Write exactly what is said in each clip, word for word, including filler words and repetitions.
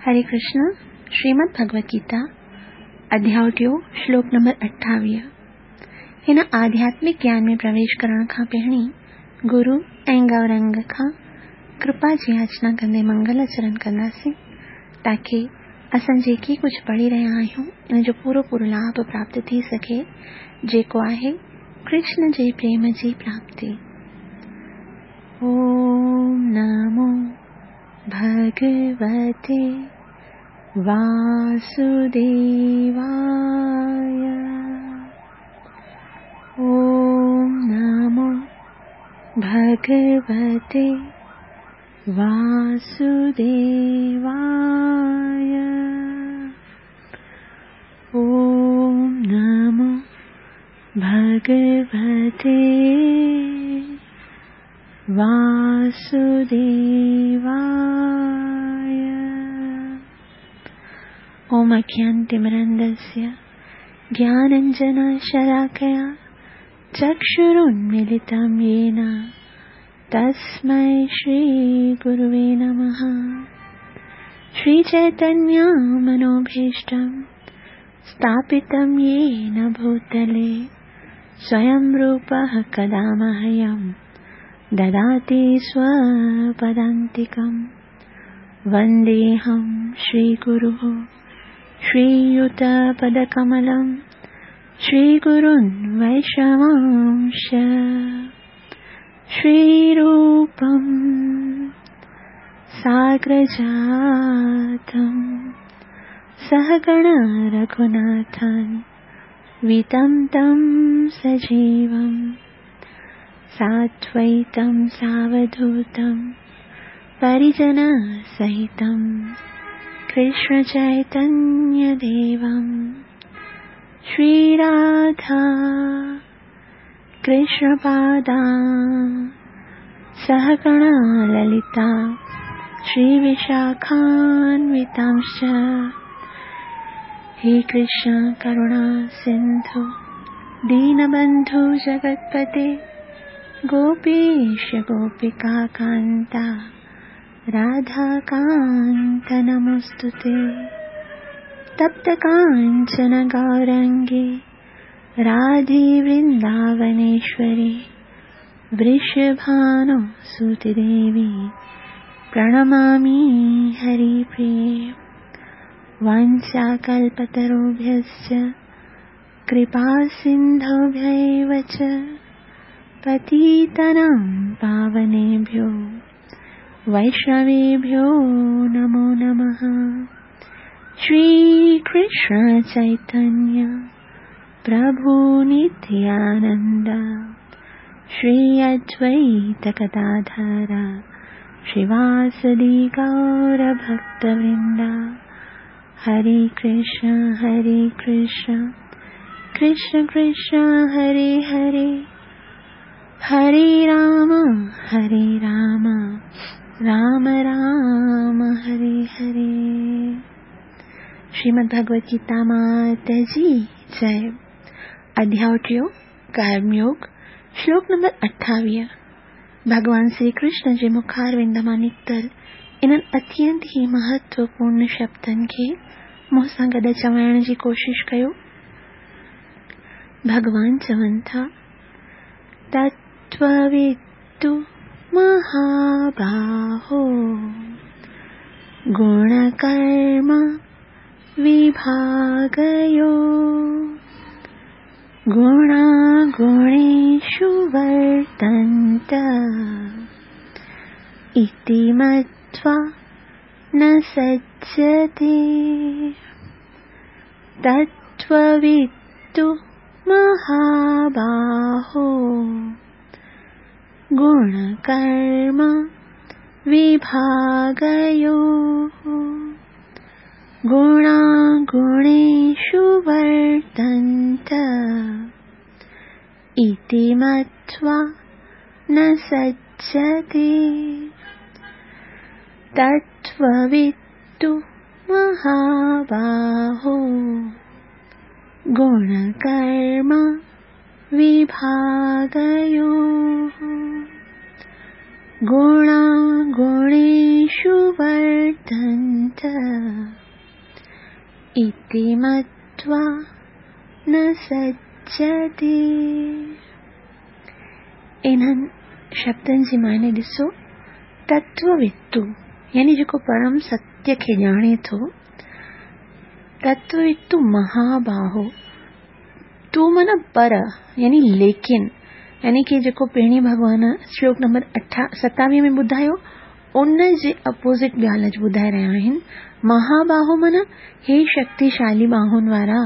हरे कृष्ण। श्रीमद् भगवद गीता अध्याय टियों श्लोक नंबर अठावीह। हिन आध्यात्मिक ज्ञान में प्रवेश करण खां पहिरीं गुरु ऐं गौरंग खां कृपा जी याचना कंदे मंगल आचरण कंदासीं, ताकी असां जेकी कुझु पढ़ी रहिया आहियूं इन जो पूरो पूरो लाभ प्राप्त थी सघे, जेको आहे कृष्ण जे प्रेम जी प्राप्ति। ओम नमो भगवते वासुदेवाय। ओम नमो भगवते वासुदेवाय। ओम नमो भगवते वासुदेवाय। ओम अज्ञानतिमिरान्धस्य ज्ञानाञ्जनशलाकया चक्षुरुन्मीलितं येन तस्मै श्रीगुरुवे नमः। श्रीचैतन्यमनोभीष्टं स्थापितं येन भूतले स्वयं रूपः कदा मह्यं ददाति स्वपदान्तिकं। वन्देऽहं श्रीगुरुः श्रीयुतपदकमलं श्रीगुरुन् वैष्णवांश श्रीरूपं साग्रजातं सहगण रघुनाथं वितं तं सजीवं साद्वैतं सावधूतं परिजनसहितं कृष्ण चैतन्यदेवं। श्रीराधा कृष्णपादा सहगणा ललिता श्रीविशाखान्वितांश्च। हे कृष्ण करुणा सिन्धु दीनबन्धु जगत्पते गोपीश गोपिका कान्ता राधाकान्त नमोऽस्तुते। तप्त काञ्चन गौरङ्गे राधे वृन्दावनेश्वरी वृषभानुसुते देवी प्रणमामि हरिप्रिये। वाञ्छाकल्पतरुभ्यश्च कृपासिन्धुभ्य एव च पतितानां पावनेभ्यो वैष्णवेभ्यो नमो नमः। श्री कृष्ण चैतन्य प्रभु नित्यानंद श्री अद्वैत गदाधर श्रीवासदि गौर भक्तवृंद। हरे कृष्ण हरे कृष्ण कृष्ण कृष्ण हरे हरे, हरे राम हरे राम राम राम हरे हरे। श्रीमद् भगवद गीता मात जी जय। अध्याय टियों कर्मयोग श्लोक नंबर अठावीह। भगवान श्री कृष्ण जे मुखारविंद मां निकितल इन्हनि अत्यंत ही महत्वपूर्ण शब्दनि खे मूं सां गॾु चवाइण जी कोशिश कयो। भगवान चवनि था, तत्त्ववित्तु महाबाहो गुणकर्म विभागयो गुणागुणेषु वर्तन्त इति मत्वा न सज्जते। तत्त्ववित्तु महाबाहो गुणकर्म विभागयो गुणागुणेषु वर्तन्त इति मत्वा न सज्जते। तत्त्ववित्तु महाबाहो गुणकर्म विभागयो गुणा गुणेषु वर्तन्त इति मत्वा न सज्जते। इन्हनि शब्दनि जी माने ॾिसो, तत्ववित्तु यानी जेको परम सत्य खे ॼाणे थो, तत्ववित्तु महाबाहो, तू माना पर यानी लेकिन, यानी कि जेको पहिरीं भॻवान श्लोक नंबर अठा सतावीह में ॿुधायो उन जे अपोज़िट ॻाल्हि अॼु ॿुधाए रहिया आहिनि। महाबाहो माना हे शक्तिशाली बाहुनि वारा,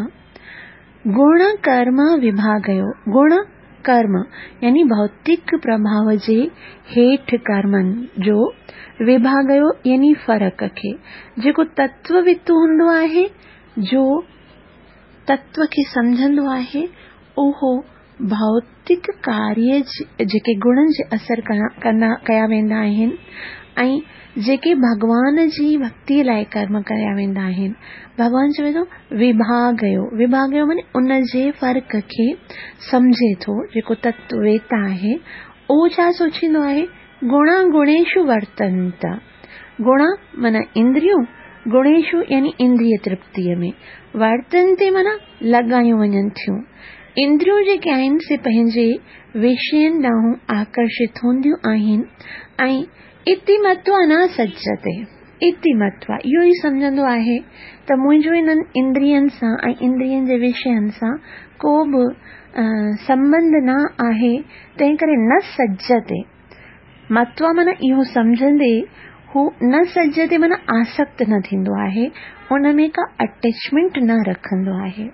गुण कर्म विभागयो, गुण कर्म यानी भौतिक प्रभाव जे हेठि कर्मनि जो विभागयो यानी फ़र्क़ खे, जेको तत्ववित्तु हूंदो आहे, जो तत्व खे सम्झंदो आहे, उहो भौतिक कार्य जेके गुणनि जे असर कंदा कया वेंदा आहिनि ऐं जेके भॻवान जी भक्तीअ लाइ कर्म कया वेंदा आहिनि। भॻवान चवे थो विभागयो, विभागयो माने उन जे फ़र्क़ खे सम्झे थो जेको तत्ववेता आहे। उहो छा सोचींदो आहे, गुणा गुणेषु वर्तन्त, गुणा माना इंद्रियूं, गुणेषु यानी इंद्रिय तृप्तीअ में, वर्तन्ते माना लॻायूं वञनि थियूं। इंद्रियूं जेके आहिनि से पंहिंजे विषयनि ॾांहुं आकर्षित हूंदियूं आहिनि ऐं इति मत्वा न सज्जते, इति मत्वा इहो ई सम्झंदो आहे त मुंहिंजो इन्हनि इंद्रियनि सां ऐं इंद्रियनि जे विषयनि सां को बि संबंध न आहे, तंहिं करे न सज्जते। मत्वा माना इहो सम्झंदे हू न सज्जते माना आसक्त न थींदो आहे, उन में का अटैचमेंट न रखंदो आहे।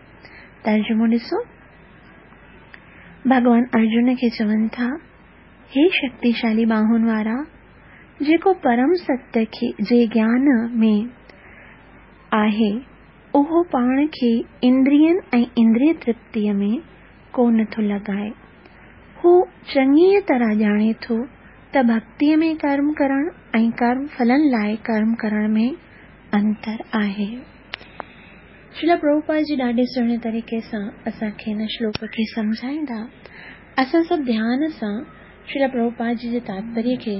तर्जुमो ॾिसो, भॻवान अर्जुन खे चवनि था, हे शक्तिशाली बाहुनि वारा, जेको परम सत्य खे जे ज्ञान में आहे उहो पाण खे इंद्रियनि ऐं इंद्रिय तृप्तीअ में कोन थो लॻाए। हू चङीअ तरह ॼाणे थो त भक्तीअ में कर्म करण ऐं कर्म फलनि लाइ कर्म करण में अंतर आहे। श्रील प्रभुपाद जी ॾाढे सुहिणे तरीक़े सां असांखे हिन श्लोक खे सम्झाईंदा। असां सभु ध्यान सां श्रील प्रभुपाद जी जे तात्पर्य खे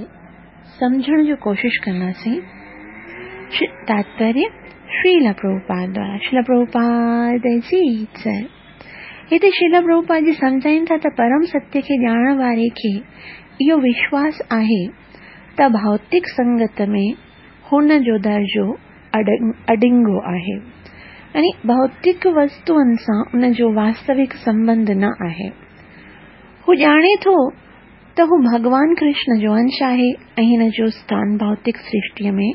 सम्झण जो कोशिश कंदासीं। तात्पर्य श्रील प्रभुपाद द्वारा, श्रील प्रभुपाद जी जय। हिते श्रील प्रभुपाद जी सम्झाइनि था त परम सत्य खे ॼाणण वारे खे इहो विश्वास आहे त भौतिक संगत में हुन जो दर्जो अडिंगो आहे, यानी भौतिक वस्तुअनि सां उन जो वास्तविक संबंध न आहे। हू ॼाणे थो त हू भॻवान कृष्ण जो अंश आहे ऐं हिन जो स्थान भौतिक सृष्टीअ में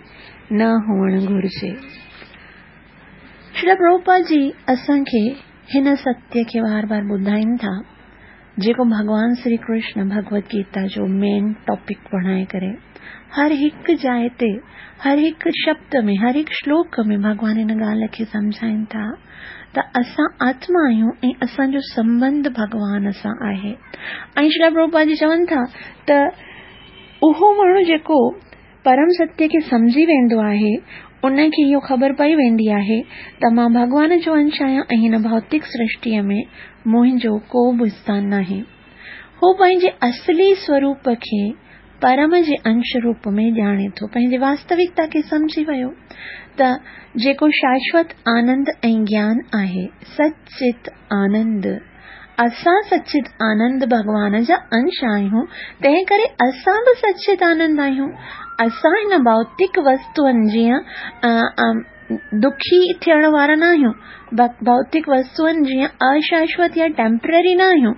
न हुअणु घुरिजे। श्रील प्रभुपाद जी असांखे हिन सत्य खे बार बार ॿुधाइनि था, जेको भॻवान श्री कृष्ण भगवत गीता जो मेन टॉपिक बणाए करे हर हिकु जाइ ते, हर हिकु शब्द में, हर हिकु श्लोक में भॻवान हिन ॻाल्हि खे सम्झाइनि था त असां आत्मा आहियूं ऐं असांजो संबंध भॻवान सां आहे। ऐं श्रील प्रभुपाद जी चवनि था त उहो माण्हू जेको परम सत्य खे सम्झी वेंदो आहे उनखे इहो ख़बर पई वेंदी आहे त मां भॻवान जो अंश आहियां ऐं हिन भौतिक सृष्टीअ में मुंहिंजो को बि स्थान नाहे। हू पंहिंजे असली स्वरूप खे परम जे अंश रूप में ॼाणे थो, पंहिंजी वास्तविकता खे सम्झी वियो त जेको शाश्वत आनंद ऐं ज्ञान आहे, सचित आनंद, असां सचित आनंद भॻवान जा अंश आहियूं, तंहिं करे असां बि सचित आनंद आहियूं। असां हिन भौतिक वस्तुअनि जीअं दुखी थियण वारा न आहियूं, भौतिक वस्तुअनि जीअं अशाश्वत या टेम्पररी न आहियूं।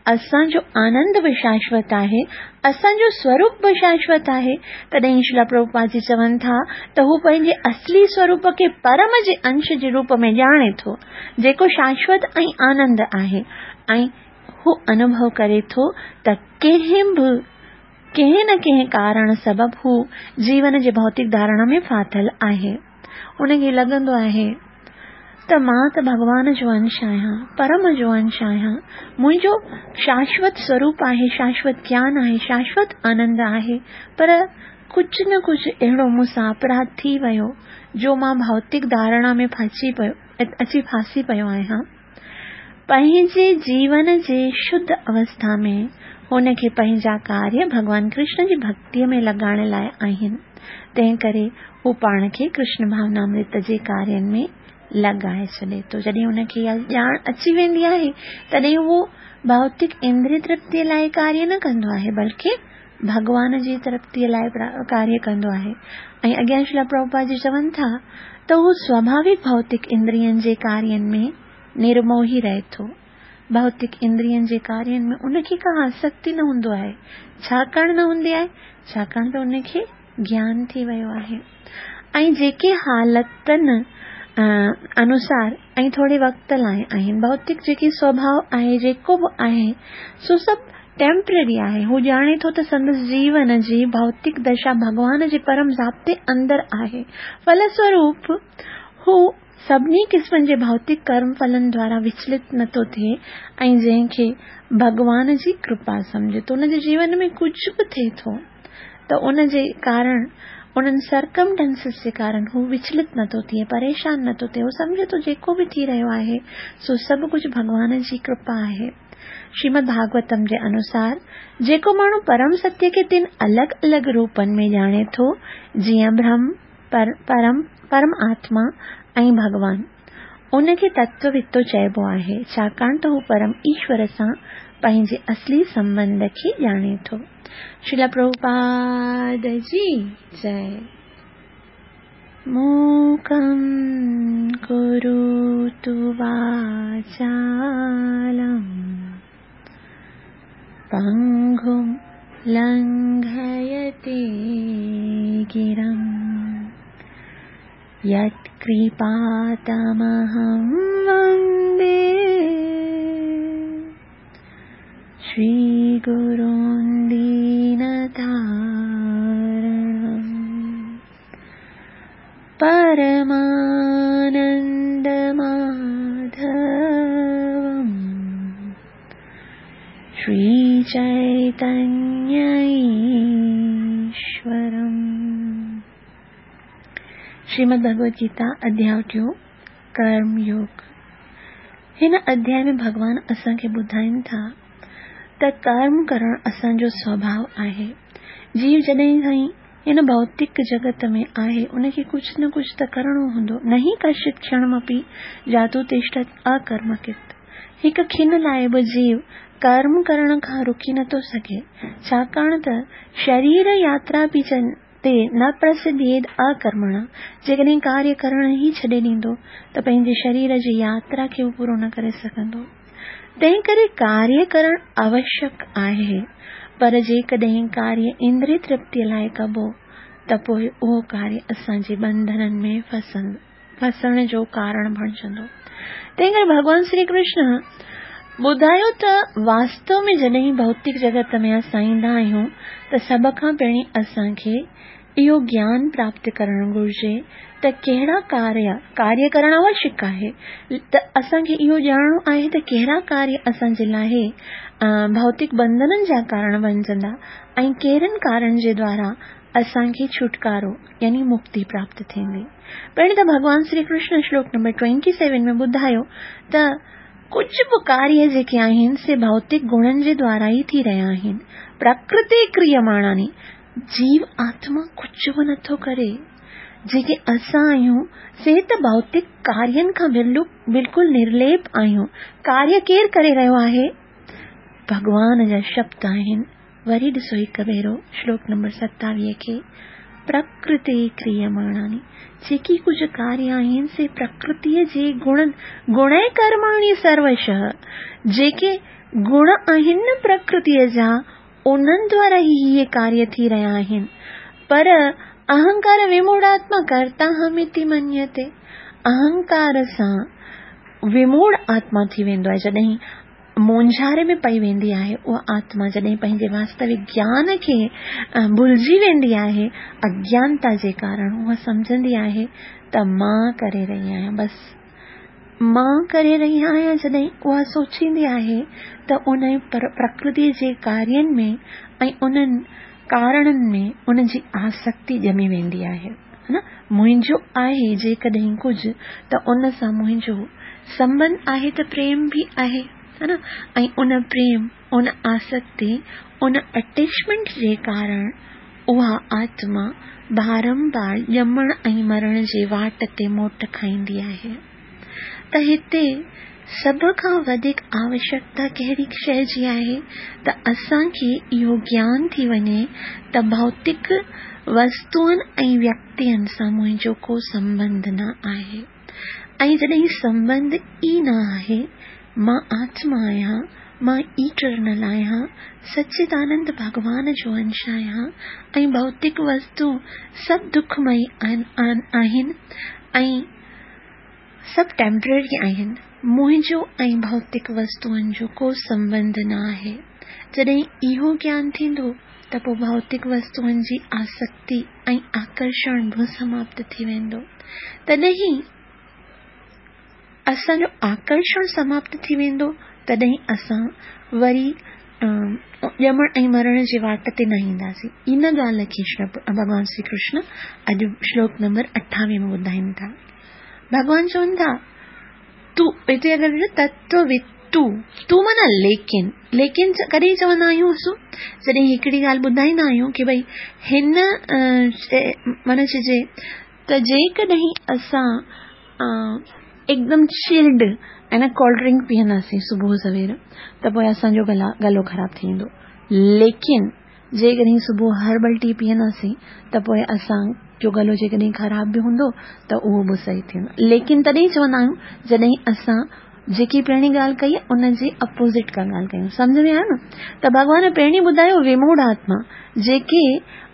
असांजो आनंद बि शाश्वत आहे, असांजो स्वरूप बि शाश्वत आहे। तॾहिं श्रील प्रभुपाद जी चवनि था त हू पंहिंजे असली स्वरूप खे परम जे अंश जे रूप में ॼाणे थो, जेको शाश्वत ऐं आनंद आहे, ऐं हू अनुभव करे थो त कंहिं बि कंहिं न कंहिं कारण सबब हू जीवन जे भौतिक धारणा में फाथल आहे। उनखे लॻंदो आहे त मां त भॻवान जो अंश आहियां, परम जो अंश आहियां, मुंहिंजो शाश्वत स्वरूप आहे, शाश्वत ज्ञान आहे, शाश्वत आनंद आहे, पर कुझु न कुझु अहिड़ो मूंसां अपराध थी वियो जो मां भौतिक धारणा में फासी पियो अची फासी पियो आहियां। पंहिंजे जीवन जे शुद्ध अवस्था में هن کي پنهنجا ڪاريه ڀڳوان ڪرشن جي ڀڳتيء ۾ لڳائڻ لاءِ آهن. تنهن ڪري هو پاڻ کي ڪرشن ڀاونامرت جي ڪارين ۾ لڳائي ڇڏي ٿو. جڏهن هن کي اها ڄاڻ اچي ويندي آهي، تڏهن اهو ڀوتڪ اندريه ترپتيءَ لاءِ ڪاريه نه ڪندو آهي، بلڪه ڀڳوان جي ترپتيءَ لاءِ ڪاريه ڪندو آهي. ۽ اڳيان شريلا پرڀوپاد جي چون ٿا ته هو سواڀاوڪ ڀوتڪ اندرين جي ڪارين ۾ نرموهي رهي ٿو. ڀوتڪ اندرين جي ڪارين ۾ ان کي ڪا آسڪتي نه هوندو آهي. ڇاڪاڻ نه هوندي آهي؟ ڇاڪاڻ ته ان کي گيان ٿي ويو آهي. ۽ جيڪي حالتن انوسار ۽ ٿوري وقت لاءِ آهن، ڀوتڪ جيڪي سوڀاو آهي، جيڪو به آهي، سو سڀ ٽيمپرري آهي. هو ڄاڻي ٿو ته سندس جيون جي ڀوتڪ دشا ڀڳوان جي پرم ضابطي اندر آهي. ڦلسوروپ هو سڀني قسمن جي ڀوتڪ ڪرم ڦلن دوارا وچلت نٿو ٿئي ۽ جنهن کي ڀڳوان جي ڪرپا سمجهي ٿو. ان جي جيون ۾ ڪجهه به ٿئي ٿو ته ان جي ڪارڻ، انهن سرڪمٽينسز جي ڪارڻ هو وچلت نٿو ٿئي، پريشان نٿو ٿئي. هو سمجهي ٿو جيڪو به ٿي رهيو آهي سو سڀ ڪجهه ڀڳوان جي ڪرپا آهي. شريمد ڀاڳوتم جي انوسار جيڪو ماڻهو پرم ستيه کي ٽن الڳ الڳ روپن ۾ ڄاڻي ٿو، جيئن برهم، پرم پرم آتما ۽ ڀڳوان، ان کي تتووتو چئبو آهي، ڇاڪاڻ ته هو پرم ايشور سان پنهنجي اصلي سنٻنڌ کي ڄاڻي ٿو. شريلا پرڀوپاد جي جئي. موڪم ڪروتु واچالم پنگم لنگهيتي گرم यत्कृपातमहं वन्दे श्रीगुरुं दीनतारणं परमानन्दमाधवं श्रीचैतन्यईश्वरम्. श्रीमद् भगवद गीता अध्याय टियों, कर्म योग. हिन अध्याय में भॻवान असांखे ॿुधाइनि था त कर्म करणु असांजो स्वभाव आहे. जीव जॾहिं खां ई हिन भौतिक जगत में आहे, उनखे कुझु न कुझु त करिणो हूंदो. नहीं कश्चित् क्षणमपि जातु तिष्ठत् अकर्मकृत. हिकु खिन लाइ बि जीव कर्म करण खां रुकी नथो सघे, छाकाणि त शरीर यात्रा बि ते न प्रसिद्धेद अकर्मणा. जेकॾहिं कार्य करणु ई छॾे ॾींदो त पंहिंजे शरीर जी यात्रा खे हू पूरो न करे सघंदो. तंहिं करे कार्य करणु आवश्यक आहे, पर जेकॾहिं कार्य इंद्रिय तृप्तीअ लाइ कबो त पोइ उहो कार्य असांजे बंधननि में फसण जो कारण बणिजंदो. तंहिं करे भॻवान श्री कृष्ण ॿुधायो त वास्तव में जॾहिं भौतिक जगत में असां ईंदा आहियूं त सभ खां पहिरीं असांखे इहो ज्ञान प्राप्त करणु घुरिजे त कहिड़ा कार्य कार्य करणु आवश्यक आहे, त असांखे इहो ॼाणणो आहे त कहिड़ा कार्य असांजे लाइ भौतिक बंधननि जा कारण बणिजंदा ऐं कहिड़नि कारण जे द्वारा असांखे छुटकारो यानी मुक्ति प्राप्त थींदी. पहिरीं त भॻवान श्री कृष्ण श्लोक नंबर ट्वेंटी सेवन में ॿुधायो त कुझु बि कार्य जेके आहिनि से भौतिक गुणनि जे द्वारा ई थी रहिया आहिनि. प्रकृति क्रियमाणानि, जीव आत्मा कुझु बि नथो करे. जेके असां आहियूं से त भौतिक कार्यनि खां बिल्कुलु निर्लेप आहियूं. कार्य केरु करे रहियो आहे? भॻवान जा शब्द आहिनि. वरी ॾिसो हिकु भेरो श्लोक नंबर सतावीह खे, प्रकृति क्रियमाणानि, जेकी कुझु कार्य आहिनि से प्रकृतीअ जे गुणनि, गुण कर्माणि सर्वशः, जेके गुण आहिनि न प्रकृतीअ जा, उन्हनि द्वारा ई इहे कार्य थी रहिया आहिनि. पर अहंकार विमूढ़ात्मा कर्ता अहमिति मन्यते. अहंकार सां विमूढ़ आत्मा थी वेंदो आहे. जॾहिं मूंझारे में पई वेंदी आहे उहा आत्मा, जॾहिं पंहिंजे वास्तविक ज्ञान खे भुलिजी वेंदी आहे, अज्ञानता जे कारण उहा सम्झंदी आहे त मां करे रही आहियां, बसि मां करे रही आहियां. जॾहिं उहा सोचींदी आहे त उन प्रकृति जे कार्यनि में ऐं उन्हनि कारणनि में उनजी आसक्ति ॼमी वेंदी आहे. न मुंहिंजो आहे जेकॾहिं कुझु त उन सां मुंहिंजो संबंध आहे त प्रेम बि आहे. ها نه؟ ۽ ان پريم، ان آسڪتي، ان اٽيچمينٽ جي ڪارڻ اها آتما بارمبار ڄمڻ ۽ مرڻ جي واٽ تي موٽ کائيندي آهي. ته هتي سڀ کان وڌيڪ آوشيڪتا ڪهڙي شيء جي آهي ته اسان کي اهو گيان ٿي وڃي ته ڀوتڪ وستوئن ۽ ويڪتين سان منهنجو ڪو سنٻنڌ نه آهي. ۽ جڏهن سنٻنڌ ئي نه آهي، مان آتما آهيان، مان ايٽرنل آهيان، سچدانند ڀڳوان جو انش آهيان ۽ ڀوتڪ وستو سڀ دکمئي آهن ۽ سڀ ٽيمپرري آهن، منهنجو ۽ ڀوتڪ وستوئن جو ڪو سنٻنڌ نه آهي. جڏهن اهو گيان ٿيندو ته پوء ڀوتڪ وستوئن جي آسڪتي ۽ آڪرشڻ به سماپت ٿي ويندو. تڏهن اسان جو آڪرشڻ سماپت ٿي ويندو، تڏهن اسان وري ڄمڻ ۽ مرڻ جي واٽ تي نه اينداسين. ان ڳالهه کي ڀڳوان شري ڪرشن اڄ شلوڪ نمبر اٺاويهه ۾ ٻڌائين ٿا. ڀڳوان چون ٿا، تون هتي اگر تتووتو، تون معنيٰ ليڪن، ليڪن ڪڏهن چوندا آهيون اسون؟ جڏهن هڪڙي ڳالهه ٻڌائيندا آهيون ڪي ڀئي هن معنيٰ چئجي ته جيڪڏهن اسان هڪدم چلڊ ۽ نه ڪولڊ ڊرنڪ پيئنداسين صبح سوير ته پوء اسان جو گلا گلو خراب ٿي ويندو، ليڪن جيڪڏهن صبح هربل ٽي پيئنداسين ته پوء اسان جو گلو جيڪڏهن خراب به هوندو ته اهو به صحيح ٿي ويندو. ليڪن تڏهن چوندا آهيون جڏهن اسان جيڪي پهرين ڳالهه ڪئي ان جي اپوزٽ ڪا ڳالهه ڪيون. سمجهه ۾ آيو نه؟ ته ڀڳوان پهرين ٻڌايو وموڙ آتما جيڪي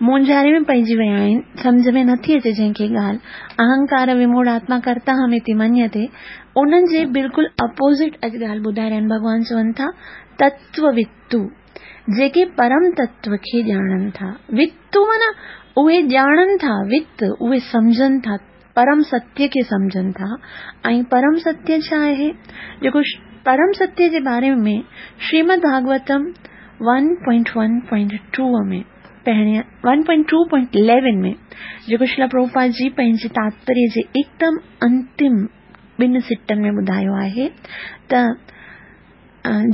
مونجهاري ۾ پئجي ويا آهن، سمجهه ۾ نٿي اچي جنهن کي ڳالهه، اهنڪار وموڙ آتما ڪرتا هميتي مڃيتي، انهن جي بلڪل اپوزٽ اڄ ڳالهه ٻڌائي رهيا آهن. ڀڳوان چون ٿا تتووتو، جيڪي پرم تتو کي ڄاڻن ٿا. وتو معنيٰ اهي ڄاڻن ٿا، وت اهي سمجهن ٿا، پرم ستيه کي سمجهن ٿا. ۽ پرم ستيه ڇا آهي؟ جيڪو پرم ستيه جي باري ۾ Shrimad Bhagavatam one point one point two ۾ پهرين one point two point eleven ۾ جيڪو شريلا پرڀوپاد جي پنهنجي تاتپريه جي هڪدم انتم ٻن سٽن ۾ ٻڌايو آهي ته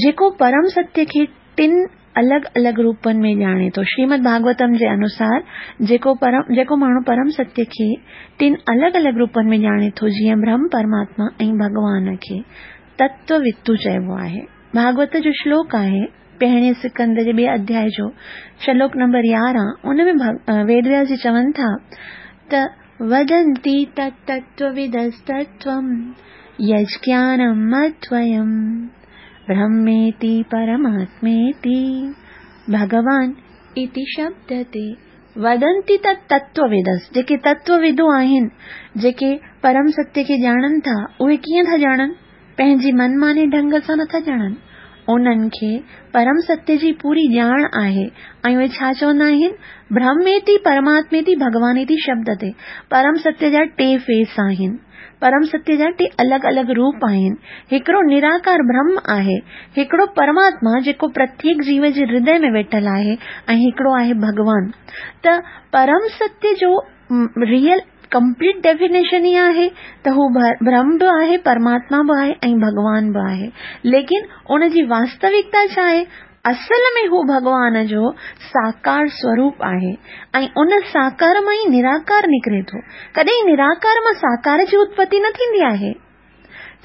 جيڪو پرم ستيه کي ٽن الڳ الڳ روپن ۾ ڄاڻي ٿو. شريمد ڀاڳوتم جي انوسار جيڪو پرم جيڪو ماڻهو پرم ستيه کي ٽن الڳ الڳ روپن ۾ ڄاڻي ٿو، جيئن برهم، پرماتما ۽ ڀڳوان کي تتووتو چئبو آهي. ڀاڳوت جو شلوڪ آهي پهرين سڪند جي ٻئي اڌياء جو شلوڪ نمبر يارهن، ان ۾ ويد وياس جي چون ٿا ته ودنتي تتتوودستتوم يجஞானம் அத்வயம் பிரம்மேதி பரமாத்மேதி ڀڳوان इति शब्दते। वदन्ति तत् तत्वविदस्, जेके तत्वविदो आहिनि, जेके परम सत्य खे ॼाणनि था, उहे कीअं था ॼाणनि? पंहिंजी मनमाने ढंग सां नथा ॼाणनि। उन्हनि खे परम सत्य जी पूरी ॼाण आहे ऐं उहे छा चवंदा आहिनि? ब्रह्मेति परमात्मेति भॻवानेति शब्दते। परम सत्य जा टे फेस आहिनि, परम सत्य जा टे अलॻि अलॻि रूप आहिनि। हिकिड़ो निराकार ब्रह्म आहे, हिकिड़ो परमात्मा जेको प्रत्येक जीव जे हृदय में वेठल आहे ऐं हिकिड़ो आहे भॻवान। त परम सत्य जो रियल कंप्लीट डेफिनेशन ई आहे त हू ब्रह्म बि आहे, परमात्मा बि आहे ऐं भॻवान बि आहे। लेकिन उन जी वास्तविकता छा आहे? असल में हू भॻवान जो साकार स्वरूप आहे ऐं उन साकार मां ई निराकार निकिरे थो। कॾहिं निराकार मां साकार जी उत्पत्ति न थींदी आहे,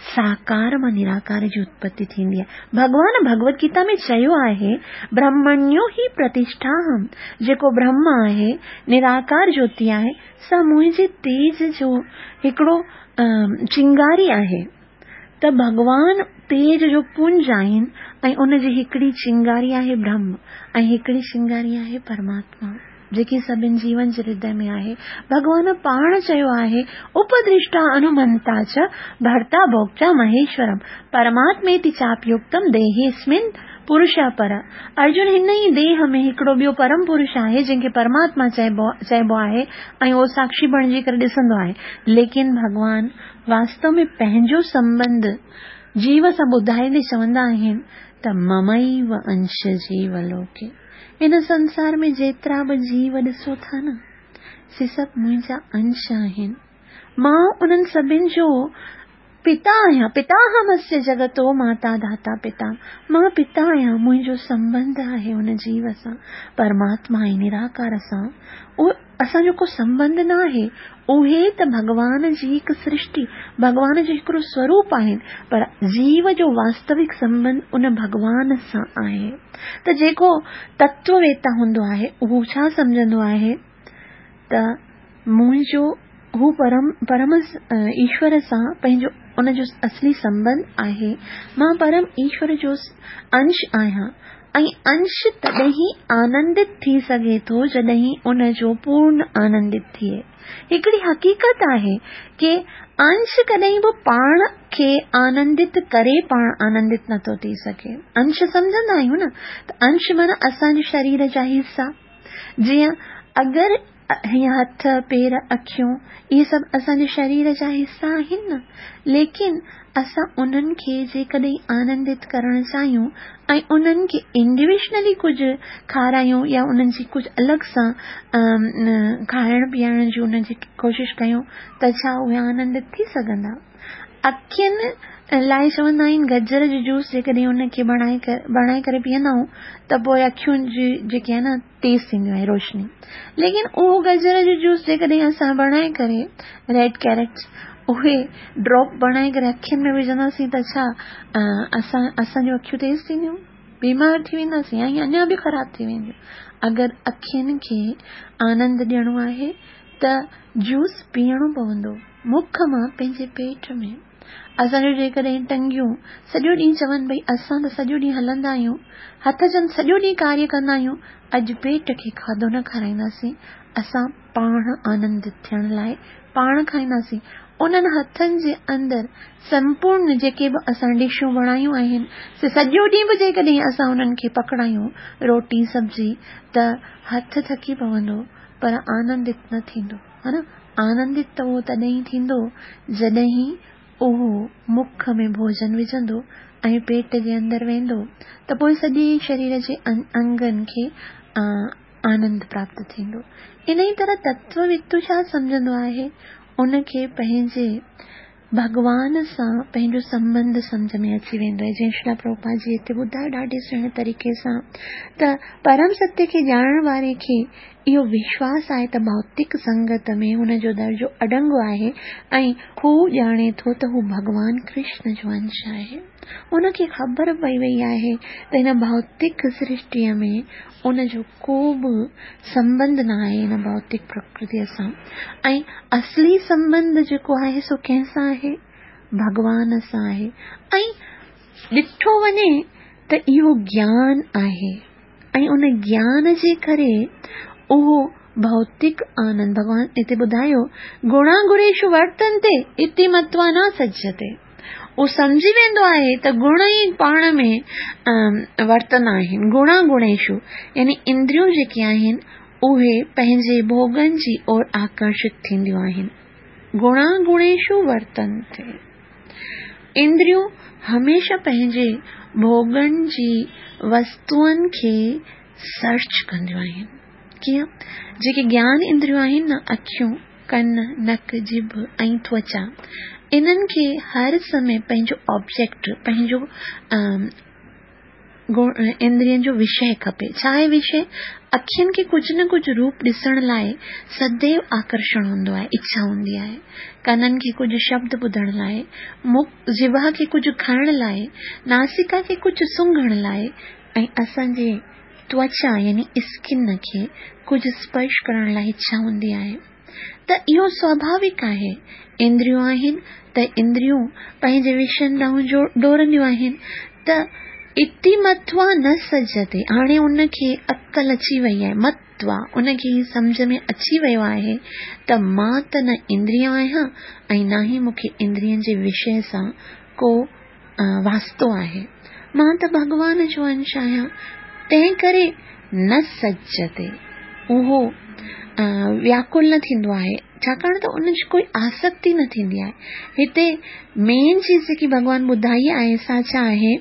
साकार मां निराकार जी उत्पत्ति थींदी आहे। भॻवान भगवत गीता में चयो आहे ब्रह्मण्यो ही प्रतिष्ठाहम, जेको ब्रह्म आहे, निराकार ज्योति आहे, सा मुंहिंजे तेज जो हिकिड़ो चिंगारी आहे। त भॻवान तेज जो पुंज आहिनि ऐं उन जी हिकिड़ी चिंगारी आहे ब्रह्म ऐं हिकिड़ी चिंगारी आहे परमात्मा, जेकी सभिनि जीवन जे हृदय में आहे। भॻवान पाण चयो आहे उपदृष्टा अनुमंता च भर्ता भोक्ता महेश्वरम परमात्मेति चाप्युक्तम देहेस्मिन् पुरुष पर। अर्जुन हिन ई देह में हिकिड़ो ॿियो परम पुरुष आहे जंहिंखे परमात्मा चइबो चइबो आहे ऐं उहो साक्षी बणिजी करे ॾिसंदो आहे। लेकिन भॻवान वास्तव में पंहिंजो संबंध जीव सां ॿुधाईंदे चवंदा आहिनि त ममैव अंश जीव लोके। हिन संसार में जेतिरा बि जीव ॾिसो था न, से सभु मुंहिंजा अंश आहिनि। मां उन्हनि सभिनि जो پتا آهيان، پتاهمسيه جڳتو ماتا ڌاتا پتا، مان پتا آهيان، منهنجو سنٻنڌ آهي ان جيو سان، پرماتما ۽ نراڪار سان اهو اسان جو ڪو سنٻنڌ نه آهي. اهي ته ڀڳوان جي هڪ سرشٽي، ڀڳوان جو هڪڙو سوروپ آهن، پر جيو جو واستوڪ سنٻنڌ ان ڀڳوان سان آهي. ته جيڪو تتوويتا هوندو آهي اهو ڇا سمجهندو آهي ته منهنجو هو پرم پرم ايشور سان پنهنجو ان جو اصلي سنٻنڌ آهي، مان پرم ايشور جو انش آهيان ۽ انش تڏهن ئي آنندت ٿي سگهي ٿو جڏهن ان جو پورن آنندت ٿئي. هڪڙي حقيقت آهي ڪي انش ڪڏهن به پاڻ کي آنندت ڪري پاڻ آنندت نٿو ٿي سگهي. انش سمجهندا آهيون نه ته انش معنيٰ اسان جي شرير جا حصا، جيئن اگر هيئن هٿ، پير، اکيون اهي سڀ اسان جي شرير جا حصا آهن نه، ليڪن اسان انهن کي جيڪڏهن آنندت ڪرڻ چاهيون ۽ انهن کي انڊيويجنلي ڪجهه کارايون يا انهن جي ڪجهه الڳ سان کائڻ پيئڻ جي انهن جي ڪوشش ڪيون ته ڇا اهي آنندت ٿي سگهندا؟ اکين لاء چوندا آهن گجر جو جوس جيڪڏهن ان کي بڻائي بڻائي ڪري پيئندا آهيون ته پوء اکين جي جيڪي آهي نه تيز ٿينديون آهن روشني، ليڪن اهو گجر جو جوس جيڪڏهن اسان بڻائي ڪري ريڊ ڪيرٽس اهي ڊراپ بڻائي ڪري اکين ۾ وجهنداسين ته ڇا اسان اسان جون اکيون تيز ٿينديون؟ بيمار ٿي وينداسين ۽ اڃا به خراب ٿي وينديون. اگر اکين کي آنند ڏيڻو آهي ته جوس پيئڻو پوندو مک مان پنهنجي پيٽ ۾. اسان جو جيڪڏهن ٽنگيون سڄو ڏينهن چون ڀئي اسان ته سڄو ڏينهن هلندا آهيون، هٿ چون سڄو ڏينهن ڪاريه ڪندا آهيون، اڄ پيٽ کي کاڌو نه کارائينداسين، اسان پاڻ آنندت ٿيڻ لاء پاڻ کائينداسين. انهن هٿن جي اندر سمپورن جيڪي به اسان ڊشون بڻايون آهن سي سڄو ڏينهن به جيڪڏهن اسان انهن کي پڪڙايون روٽي سبزي ته هٿ ٿڪي پوندو پر آنندت نه ٿيندو، ها نه؟ آنندت ته اهو تڏهن ئي ٿيندو جڏهن اهو مک ۾ ڀوڄن وجهندو ۽ پيٽ جي اندر ويندو ته پوء سڄي شرير جي انگن کي آنند پراپت ٿيندو. انهيء طرح تتووتو ڇا سمجهندو آهي؟ ان کي پنهنجي ڀڳوان سان پنهنجو سنٻنڌ سمجهه ۾ اچي ويندو آهي. جيئن شريلا پرڀوپاد جي هتي ٻڌايو ڏاڍي سهڻي طريقي سان ته پرم ستيه کي ڄاڻڻ واري کي اهو وشواس آهي ته ڀوتڪ سنگت ۾ هن جو درجو اڏنگو آهي ۽ هو ڄاڻي ٿو ته هو ڀڳوان ڪرشن جو انش آهي. هن کي خبر پئي وئي آهي ته هن ڀوتڪ سرشٽيء ۾ ان جو ڪو به سنٻنڌ نه آهي هن ڀوتڪ پرڪرتيء سان ۽ اصلي سنٻنڌ جيڪو آهي سو ڪنهن سان آهي؟ ڀڳوان سان آهي. ۽ ڏٺو وڃي ته اهو گيان آهي ۽ ان گيان جي ڪري اهو ڀوتڪ آنند، ڀڳوان هتي ٻڌايو گڻا گڻيشو ورتنتي اتي متوا نه سجتي، اهو سمجهي ويندو آهي ته گڻ ئي پاڻ ۾ ورتندا آهن. گڻا گڻيشو يعني اندريون جيڪي آهن اهي پنهنجي ڀوڳن جي اور آڪرشت ٿينديون آهن. گڻا گڻيشو ورتنتي، اندريون هميشه پنهنجي ڀوڳن جي وستوئن کي سرچ ڪنديون آهن. ڪيئن؟ جيڪي گيان اندريون آهن نه، اکيون، ڪن، نڪ، ڄڀ ۽ توچا، انهن کي هر سمي پنهنجو آبجيڪٽ، پنهنجو اندرين جو وشيه کپي. ڇا آهي وشيه؟ اکين کي ڪجهه نه ڪجهه روپ ڏسڻ لاء سديو آڪرشڻ هوندو آهي، اڇا هوندي آهي. ڪنن کي ڪجهه شبد ٻڌڻ لاء، مک، جبا کي ڪجهه کائڻ لاء، ناسڪا کي ڪجهه سونگهڻ لاء ۽ اسان جي توچا يعني اسڪن کي ڪجهه سپرش ڪرڻ لاء اڇا هوندي آهي. ته اهو سواڀاوڪ آهي. اندريون آهن ته اندريون پنهنجي وشين ڏانهن ڊوڙنديون آهن ته اتي متوا نه سجتي. هاڻي ان کي عقل اچي وئي آهي، متوا ان کي هي سمجهه ۾ اچي ويو آهي ته مان ته نه اندريون آهيان ۽ نه ئي مون کي اندرين جي وشيه سان ڪو واسطو آهي، مان ته ڀڳوان جو انش آهيان، تنهن ڪري نه سجتي. اهو وياڪل نه ٿيندو آهي، ڇاڪاڻ ته ان جي ڪوئي آسڪتي نه ٿيندي آهي. هتي مين چيز جيڪي ڀڳوان ٻڌائي آهي سا ڇا آهي؟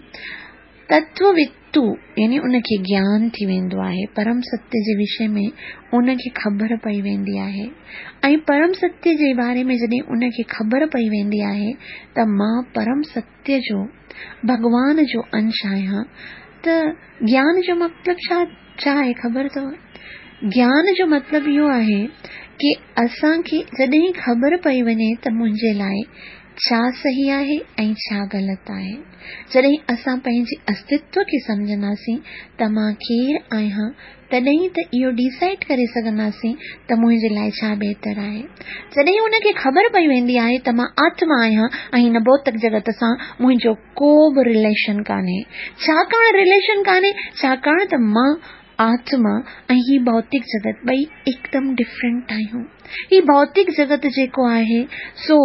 तत्ववित्तु यानी उनखे ज्ञान थी वेंदो आहे, परम सत्य जे विषय में उनखे ख़बर पई वेंदी आहे। ऐं परम सत्य जे बारे में जॾहिं उनखे ख़बर पई वेंदी आहे त मां परम सत्य जो भॻवान जो अंश आहियां, त ज्ञान जो मतिलबु छा छा आहे ख़बर अथव? ज्ञान जो मतिलबु इहो आहे की असांखे जॾहिं ख़बर पई वञे त मुंहिंजे लाइ छा सही आहे ऐं छा ग़लति आहे। जॾहिं असां पंहिंजे अस्तित्व खे सम्झंदासीं त मां केरु आहियां, तॾहिं त इहो डिसाइड करे सघंदासीं त मुंहिंजे लाइ छा बहितर आहे। जॾहिं उनखे ख़बर पई वेंदी आहे त मां आत्मा आहियां ऐं हिन भौतिक जगत सां मुंहिंजो को बि रिलेशन कान्हे। छाकाणि रिलेशन कान्हे? छाकाणि त मां आत्मा ऐं ही भौतिक जगत ॿई एकदम डिफरेंट आहियूं। ही भौतिक जगत जेको आहे सो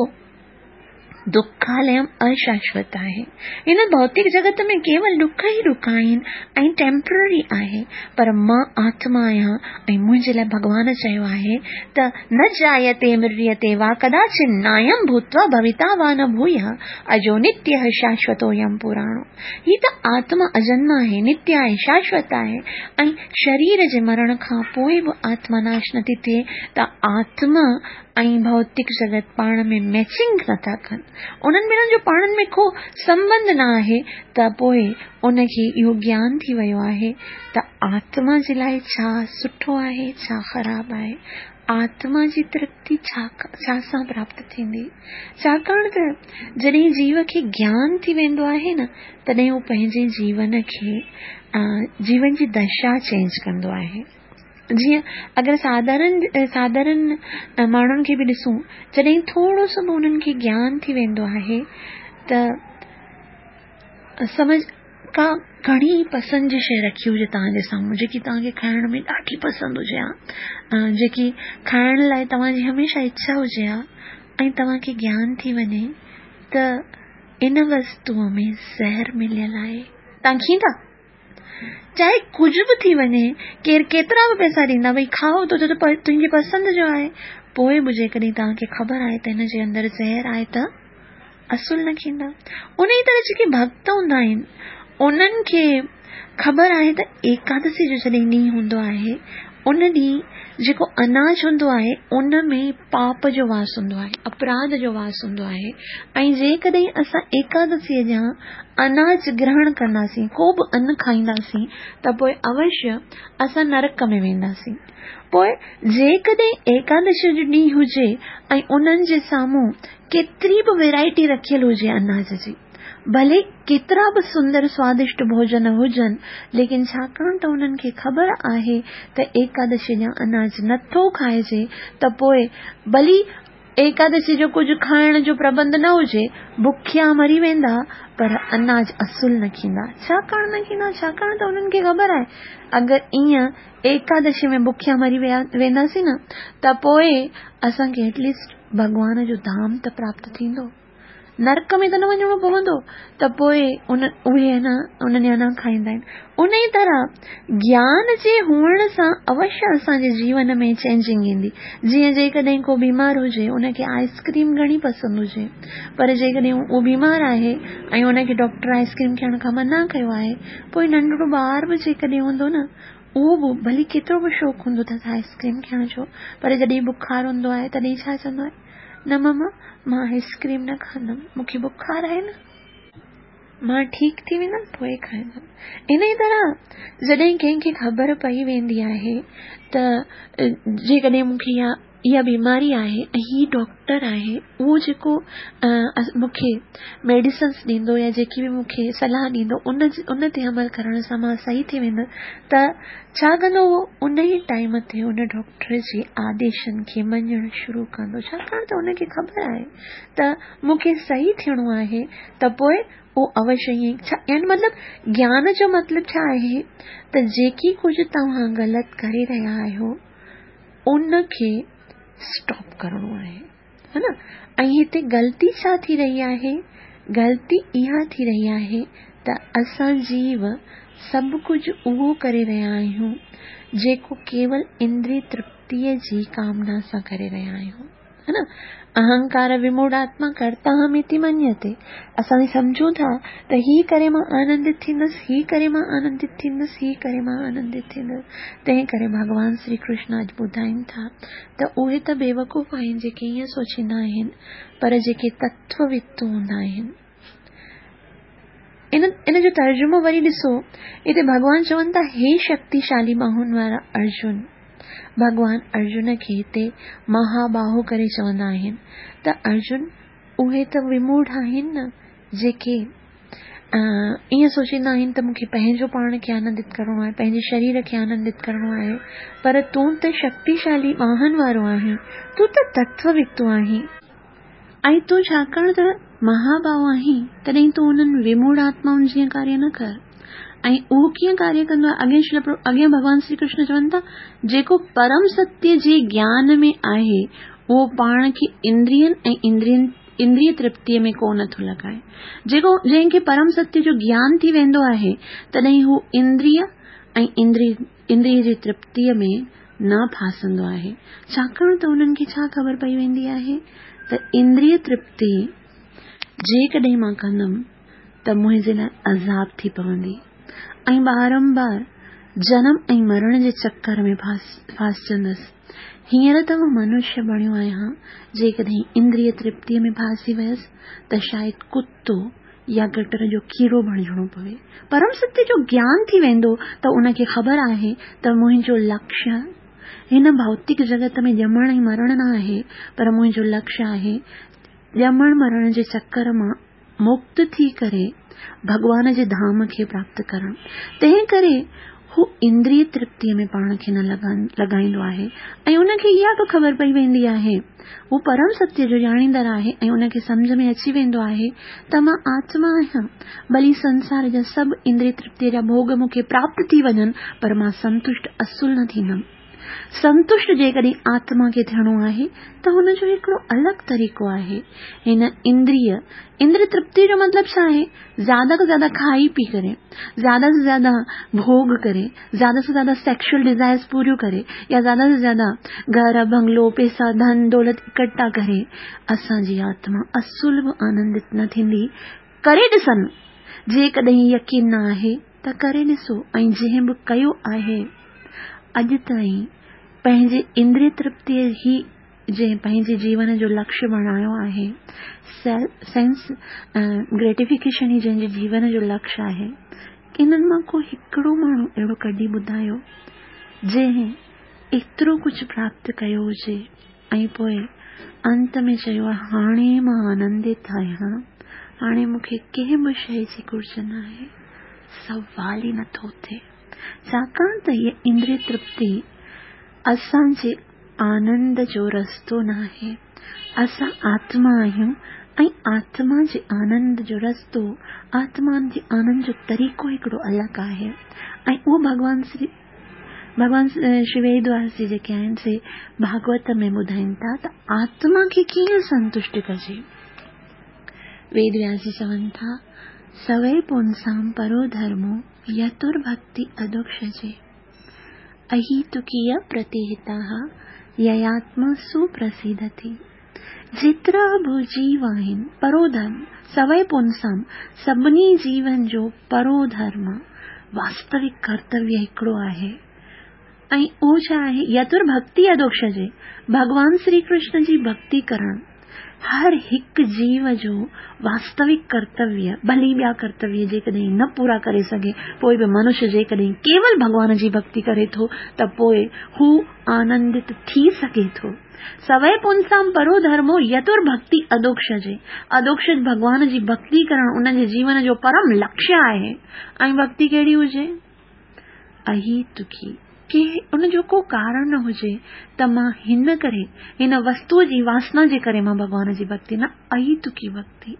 दुखालयम अशाश्वत आहे। हिन भौतिक जगत में केवल दुख ई दुख आहिनि ऐं टेम्पररी आहे, पर मां आत्मा आहियां ऐं मुंहिंजे लाइ भॻवान चयो आहे त न जायते म्रियते वा कदाचित् नायं भूत्वा भविता वा न भूयः अजो नित्यः शाश्वतोऽयं पुराणो। ही त आत्मा अजन्म आहे, नित्य आहे, शाश्वत आहे ऐं शरीर जे मरण खां पोइ बि आत्मा नाश नथी थिए, त आत्मा ऐं भौतिक जगत पाण में मैचिंग नथा कनि, उन्हनि ॿिन्हिनि जो पाण में को संबंध न आहे, त पोइ उनखे इहो ज्ञान थी वियो आहे त आत्मा जे लाइ छा सुठो आहे, छा ख़राबु आहे, आत्मा जी तृप्ति छा छा सां प्राप्त थींदी। छाकाणि त जॾहिं जीव खे ज्ञान थी वेंदो आहे न, तॾहिं उहो पंहिंजे जीवन खे जीवन जी दशा चेंज कंदो आहे। जीअं अगरि साधारण साधारण माण्हुनि खे बि ॾिसूं, जॾहिं थोरो सो बि उन्हनि खे ज्ञान थी वेंदो आहे त समझ का घणी पसंदि जी शइ रखी हुजे तव्हांजे साम्हूं, जेकी तव्हांखे खाइण में ॾाढी पसंदि हुजे हा, जेकी खाइण लाइ तव्हांजी हमेशा इच्छा हुजे हा, ऐं तव्हांखे ज्ञान थी वञे त इन वस्तूअ में ज़हर मिलियल आहे, तव्हां खींदा? चाहे कुझु बि थी वञे, केरु केतिरा बि पैसा ॾींदा, भई खाओ तो तुंहिंजी पसंदि जो आहे, पोइ बि जेकॾहिं तव्हांखे ख़बर आहे त हिन जे अंदरि ज़हर आहे त असुल न खींदा। उन ई तरह जेके भक्त हूंदा आहिनि उन्हनि खे ख़बर आहे त एकादशी जो जॾहिं ॾींहुं हूंदो आहे, उन ॾींहुं जेको अनाज हूंदो आहे उन में पाप जो वास हूंदो आहे, अपराध जो वास हूंदो आहे, ऐं जेकॾहिं असां एकादशीअ जा अनाज ग्रहण कंदासीं, को बि अन खाईंदासीं, त पोइ अवश्य असां नरक में वेंदासीं। पोइ जेकॾहिं एकादशी जो ॾींहुं हुजे ऐं उन्हनि जे साम्हूं केतिरी बि वेराइटी रखियल हुजे अनाज जी, भले केतिरा बि सुंदर स्वादिष्ट भोजन हुजनि, लेकिन छाकाणि त उन्हनि खे ख़बर आहे त एकादशी जा अनाज नथो खाइजे, त पोइ भली एकादशी जो कुझु खाइण जो प्रबंध न हुजे, बुखिया मरी वेंदा, पर अनाज असुल न खींदा। छाकाणि न खींदा? छाकाणि त उन्हनि खे ख़बर आहे अगरि ईअं एकादशी में बुखिया मरी वेंदासीं न, त पोइ असांखे एटलीस्ट भॻवान जो धाम त प्राप्त थींदो, नरक में त न वञिणो पवंदो, त पोइ उन उहे न उन्हनि जा न खाईंदा आहिनि। उन ई तरह ज्ञान जे हुअण सां अवश्य असांजे जीवन में चेंजिंग ईंदी। जीअं जेकॾहिं को बीमार हुजे, उनखे आइसक्रीम घणी पसंदि हुजे, पर जेकॾहिं उहो बीमार आहे ऐं उनखे डॉक्टर आइसक्रीम खाइण खां मना कयो आहे, पोइ नंढड़ो ॿार बि जेकॾहिं हूंदो न, उहो बि भली केतिरो बि शौक़ु हूंदो अथसि आइसक्रीम खाइण जो, पर जॾहिं बुखार हूंदो आहे तॾहिं छा चवंदो आहे, न ममा मां आइसक्रीम न खाईंदमि, मूंखे बुखार आहे न, मां ठीकु थी वेंदमि पोइ खाईंदमि। इन ई तरह जॾहिं कंहिंखे ख़बर पई वेंदी आहे त जेकॾहिं मूंखे इहा इहा बीमारी आहे ऐं हीउ डॉक्टर आहे उहो जेको मूंखे मेडिसिन्स ॾींदो या जेकी बि मूंखे सलाह ॾींदो उन उन ते अमल करण सां मां सही थी वेंदुसि, त छा कंदो उहो उन ई टाइम ते उन डॉक्टर जे आदेशनि खे मञणु शुरू कंदो, छाकाणि त उनखे ख़बर आहे त मूंखे सही थियणो आहे, त पोइ उहो अवश्य ईअं छा यानी मतिलबु ज्ञान जो मतिलबु छा आहे त जेकी कुझु तव्हां ग़लति करे रहिया आहियो उनखे स्टॉप करिणो आहे, हा न। ऐं हिते ग़लती छा थी रही आहे? ग़लती इहा थी रही आहे त असां जीव सभु कुझु उहो करे रहिया आहियूं जेको केवल इंद्रिय तृप्तीअ जी कामना सां करे रहिया आहियूं। हा न? अहंकार विमूढ़ात्मा कर्ताहमिति मन्यते। असां सम्झूं था त ही करे मां आनंदित थींदुसि, ही करे मां आनंदित थींदुसि, ही करे मां आनंदित थींदुसि। तंहिं करे भॻवान श्री कृष्ण अॼु ॿुधाइनि था त उहे त बेवकूफ़ आहिनि जेके ईअं सोचींदा आहिनि, पर जेके तत्ववित्त हूंदा आहिनि। इन इन जो तर्जुमो वरी ॾिसो, हिते भॻवान चवनि था, हे शक्तिशाली बाहुनि वारा अर्जुन। भॻवान अर्जुन खे हिते महाबाहु करे चवंदा आहिनि त अर्जुन, उहे त विमूढ़ आहिनि न जेके ईअं सोचींदा आहिनि त मूंखे पंहिंजो पाण खे आनंदित करिणो आहे, पंहिंजे शरीर खे आनंदित करिणो आहे, पर तूं त शक्तिशाली बाहनि वारो आहीं, तूं त तत्ववित्तु आहीं ऐं तूं छाकाणि त महाबाहु आहीं, तॾहिं तूं उन्हनि विमूढ़ आत्माउनि जीअं कार्य न कर। ऐं उहो कीअं कार्य कंदो आहे? अॻियां अॻियां भॻवान श्री कृष्ण चवनि था, जेको परम सत्य जे ज्ञान में आहे उहो पाण खे इंद्रियनि ऐं इंद्रियनि इंद्रिय तृप्तीअ में कोन थो लॻाए। जेको जंहिंखे परम सत्य जो ज्ञान थी वेंदो आहे तॾहिं हू इंद्रिय ऐं इंद्रिय इंद्रिय जी तृप्तीअ में न फासंदो आहे। छाकाणि त उन्हनि खे छा ख़बर पई वेंदी आहे त इंद्रिय तृप्ति जेकॾहिं मां कंदुमि त मुंहिंजे लाइ अज़ाब थी पवंदी ऐं बारंबार जनम ऐं मरण जे चक्कर में फासिजंदुसि। हींअर त मां मनुष्य बणियो आहियां, जेकॾहिं इंद्रिय तृप्तीअ में फासी वियुसि त शायदि कुतो या गटर जो कीड़ो बणिजणो पवे। परम सत्य जो ज्ञान थी वेंदो त उनखे ख़बर आहे त मुंहिंजो लक्ष्य हिन भौतिक जगत में ॼमण ऐं मरण न आहे, पर मुंहिंजो लक्ष्य आहे ॼमण मरण जे चक्कर मां मुक्त थी करे भॻवान जे धाम खे प्राप्त करणु। तंहिं करे हू इंद्रिय तृप्तीअ में पाण खे न लॻाईंदो आहे ऐं उनखे इहा बि ख़बर पई वेंदी आहे, हू परम सत्य जो ॼाणींदड़ आहे ऐं उनखे सम्झ में अची वेंदो आहे त मां आत्मा आहियां, भली संसार जा सभु इंद्रिय तृप्तीअ जा भोग मूंखे प्राप्त थी वञनि, पर मां संतुष्ट असुल न थींदमि। संतुष्ट जेकॾहिं आत्मा खे थियणो आहे त हुनजो हिकिड़ो अलॻि तरीक़ो आहे। हिन इंद्रिय इंद्रिय तृप्ति जो मतिलबु छा आहे? ज़्यादा खां ज़्यादा खाई पी करे, ज़्यादा से ज़्यादा भोग करे, ज़्यादा से ज़्यादा सेक्सुअल डिज़ायर्स पूरियूं करे, या ज़्यादा से ज़्यादा घर, बंगलो, पैसा, धन दौलत इकट्ठा करे, असांजी आत्मा असुल बि आनंदित न थींदी। करे ॾिसनि, जेकॾहिं यकीन न आहे त करे ॾिसो। ऐं जंहिं बि कयो आहे अॼु ताईं पंहिंजे इंद्रिय तृप्तीअ ई जंहिं पंहिंजे जीवन जो लक्ष्य बणायो आहे, सेंस ग्रेटिफिकेशन ई जंहिंजे जीवन जो लक्ष्य आहे, इन्हनि मां को हिकिड़ो माण्हू अहिड़ो कढी ॿुधायो जंहिं एतिरो कुझु प्राप्त कयो हुजे ऐं पोइ अंत में चयो आहे हाणे मां आनंदित आहियां, हाणे मूंखे कंहिं बि शइ जी घुर्ज न आहे। सवाल ई नथो थिए। छाकाणि त हीअ इंद्रिय तृप्ति असांजे आनंद जो रस्तो न आहे। असां आत्मा आहियूं ऐं आत्मा जे आनंद जो रस्तो, आत्मा जे आनंद जो तरीक़ो हिकिड़ो अलॻि आहे। ऐं उहो भॻवान श्री भॻवान श्री वेदव्यास जी जेके आहिनि से भागवत में ॿुधाइनि था त आत्मा खे कीअं संतुष्ट कजे। वेदव्यास जी चवनि था, सवै पुंसां परो धर्मो यतुर्भक्ति अदोक्षजे अहितुकीय प्रतिहिताः ययात्मा सुप्रसिद्धति। जेतिरा बि जीव आहिनि, परो धर्म सवै पुंसां, सभिनी जीवन जो परो धर्म वास्तविक कर्तव्य हिकिड़ो आहे ऐं उहो छा आहे? यतुर भक्ति अदोक्षजे, भॻवान श्री कृष्ण जी भक्ति करणु हर हिकु जीव जो वास्तविक कर्तव्य, भली ॿिया कर्तव्य जेकॾहिं न पूरा करे सघे, पोइ बि मनुष्य जेकॾहिं केवल भॻवान जी भक्ति करे थो त पोइ हू आनंदित थी सघे थो। सवै पुंसां परो धर्मो यतुर भक्ति अदोक्षजे, अदोक्षज भॻवान जी भक्ति करणु उन्हनि जे जीवन जो परम लक्ष्य आहे। ऐं भक्ति कहिड़ी हुजे? अहितुकी, की उनजो को कारण न हुजे त मां हिन करे, हिन वस्तुअ जी वासना जे करे मां भॻवान जी भक्ति न, अहितुकी भक्ति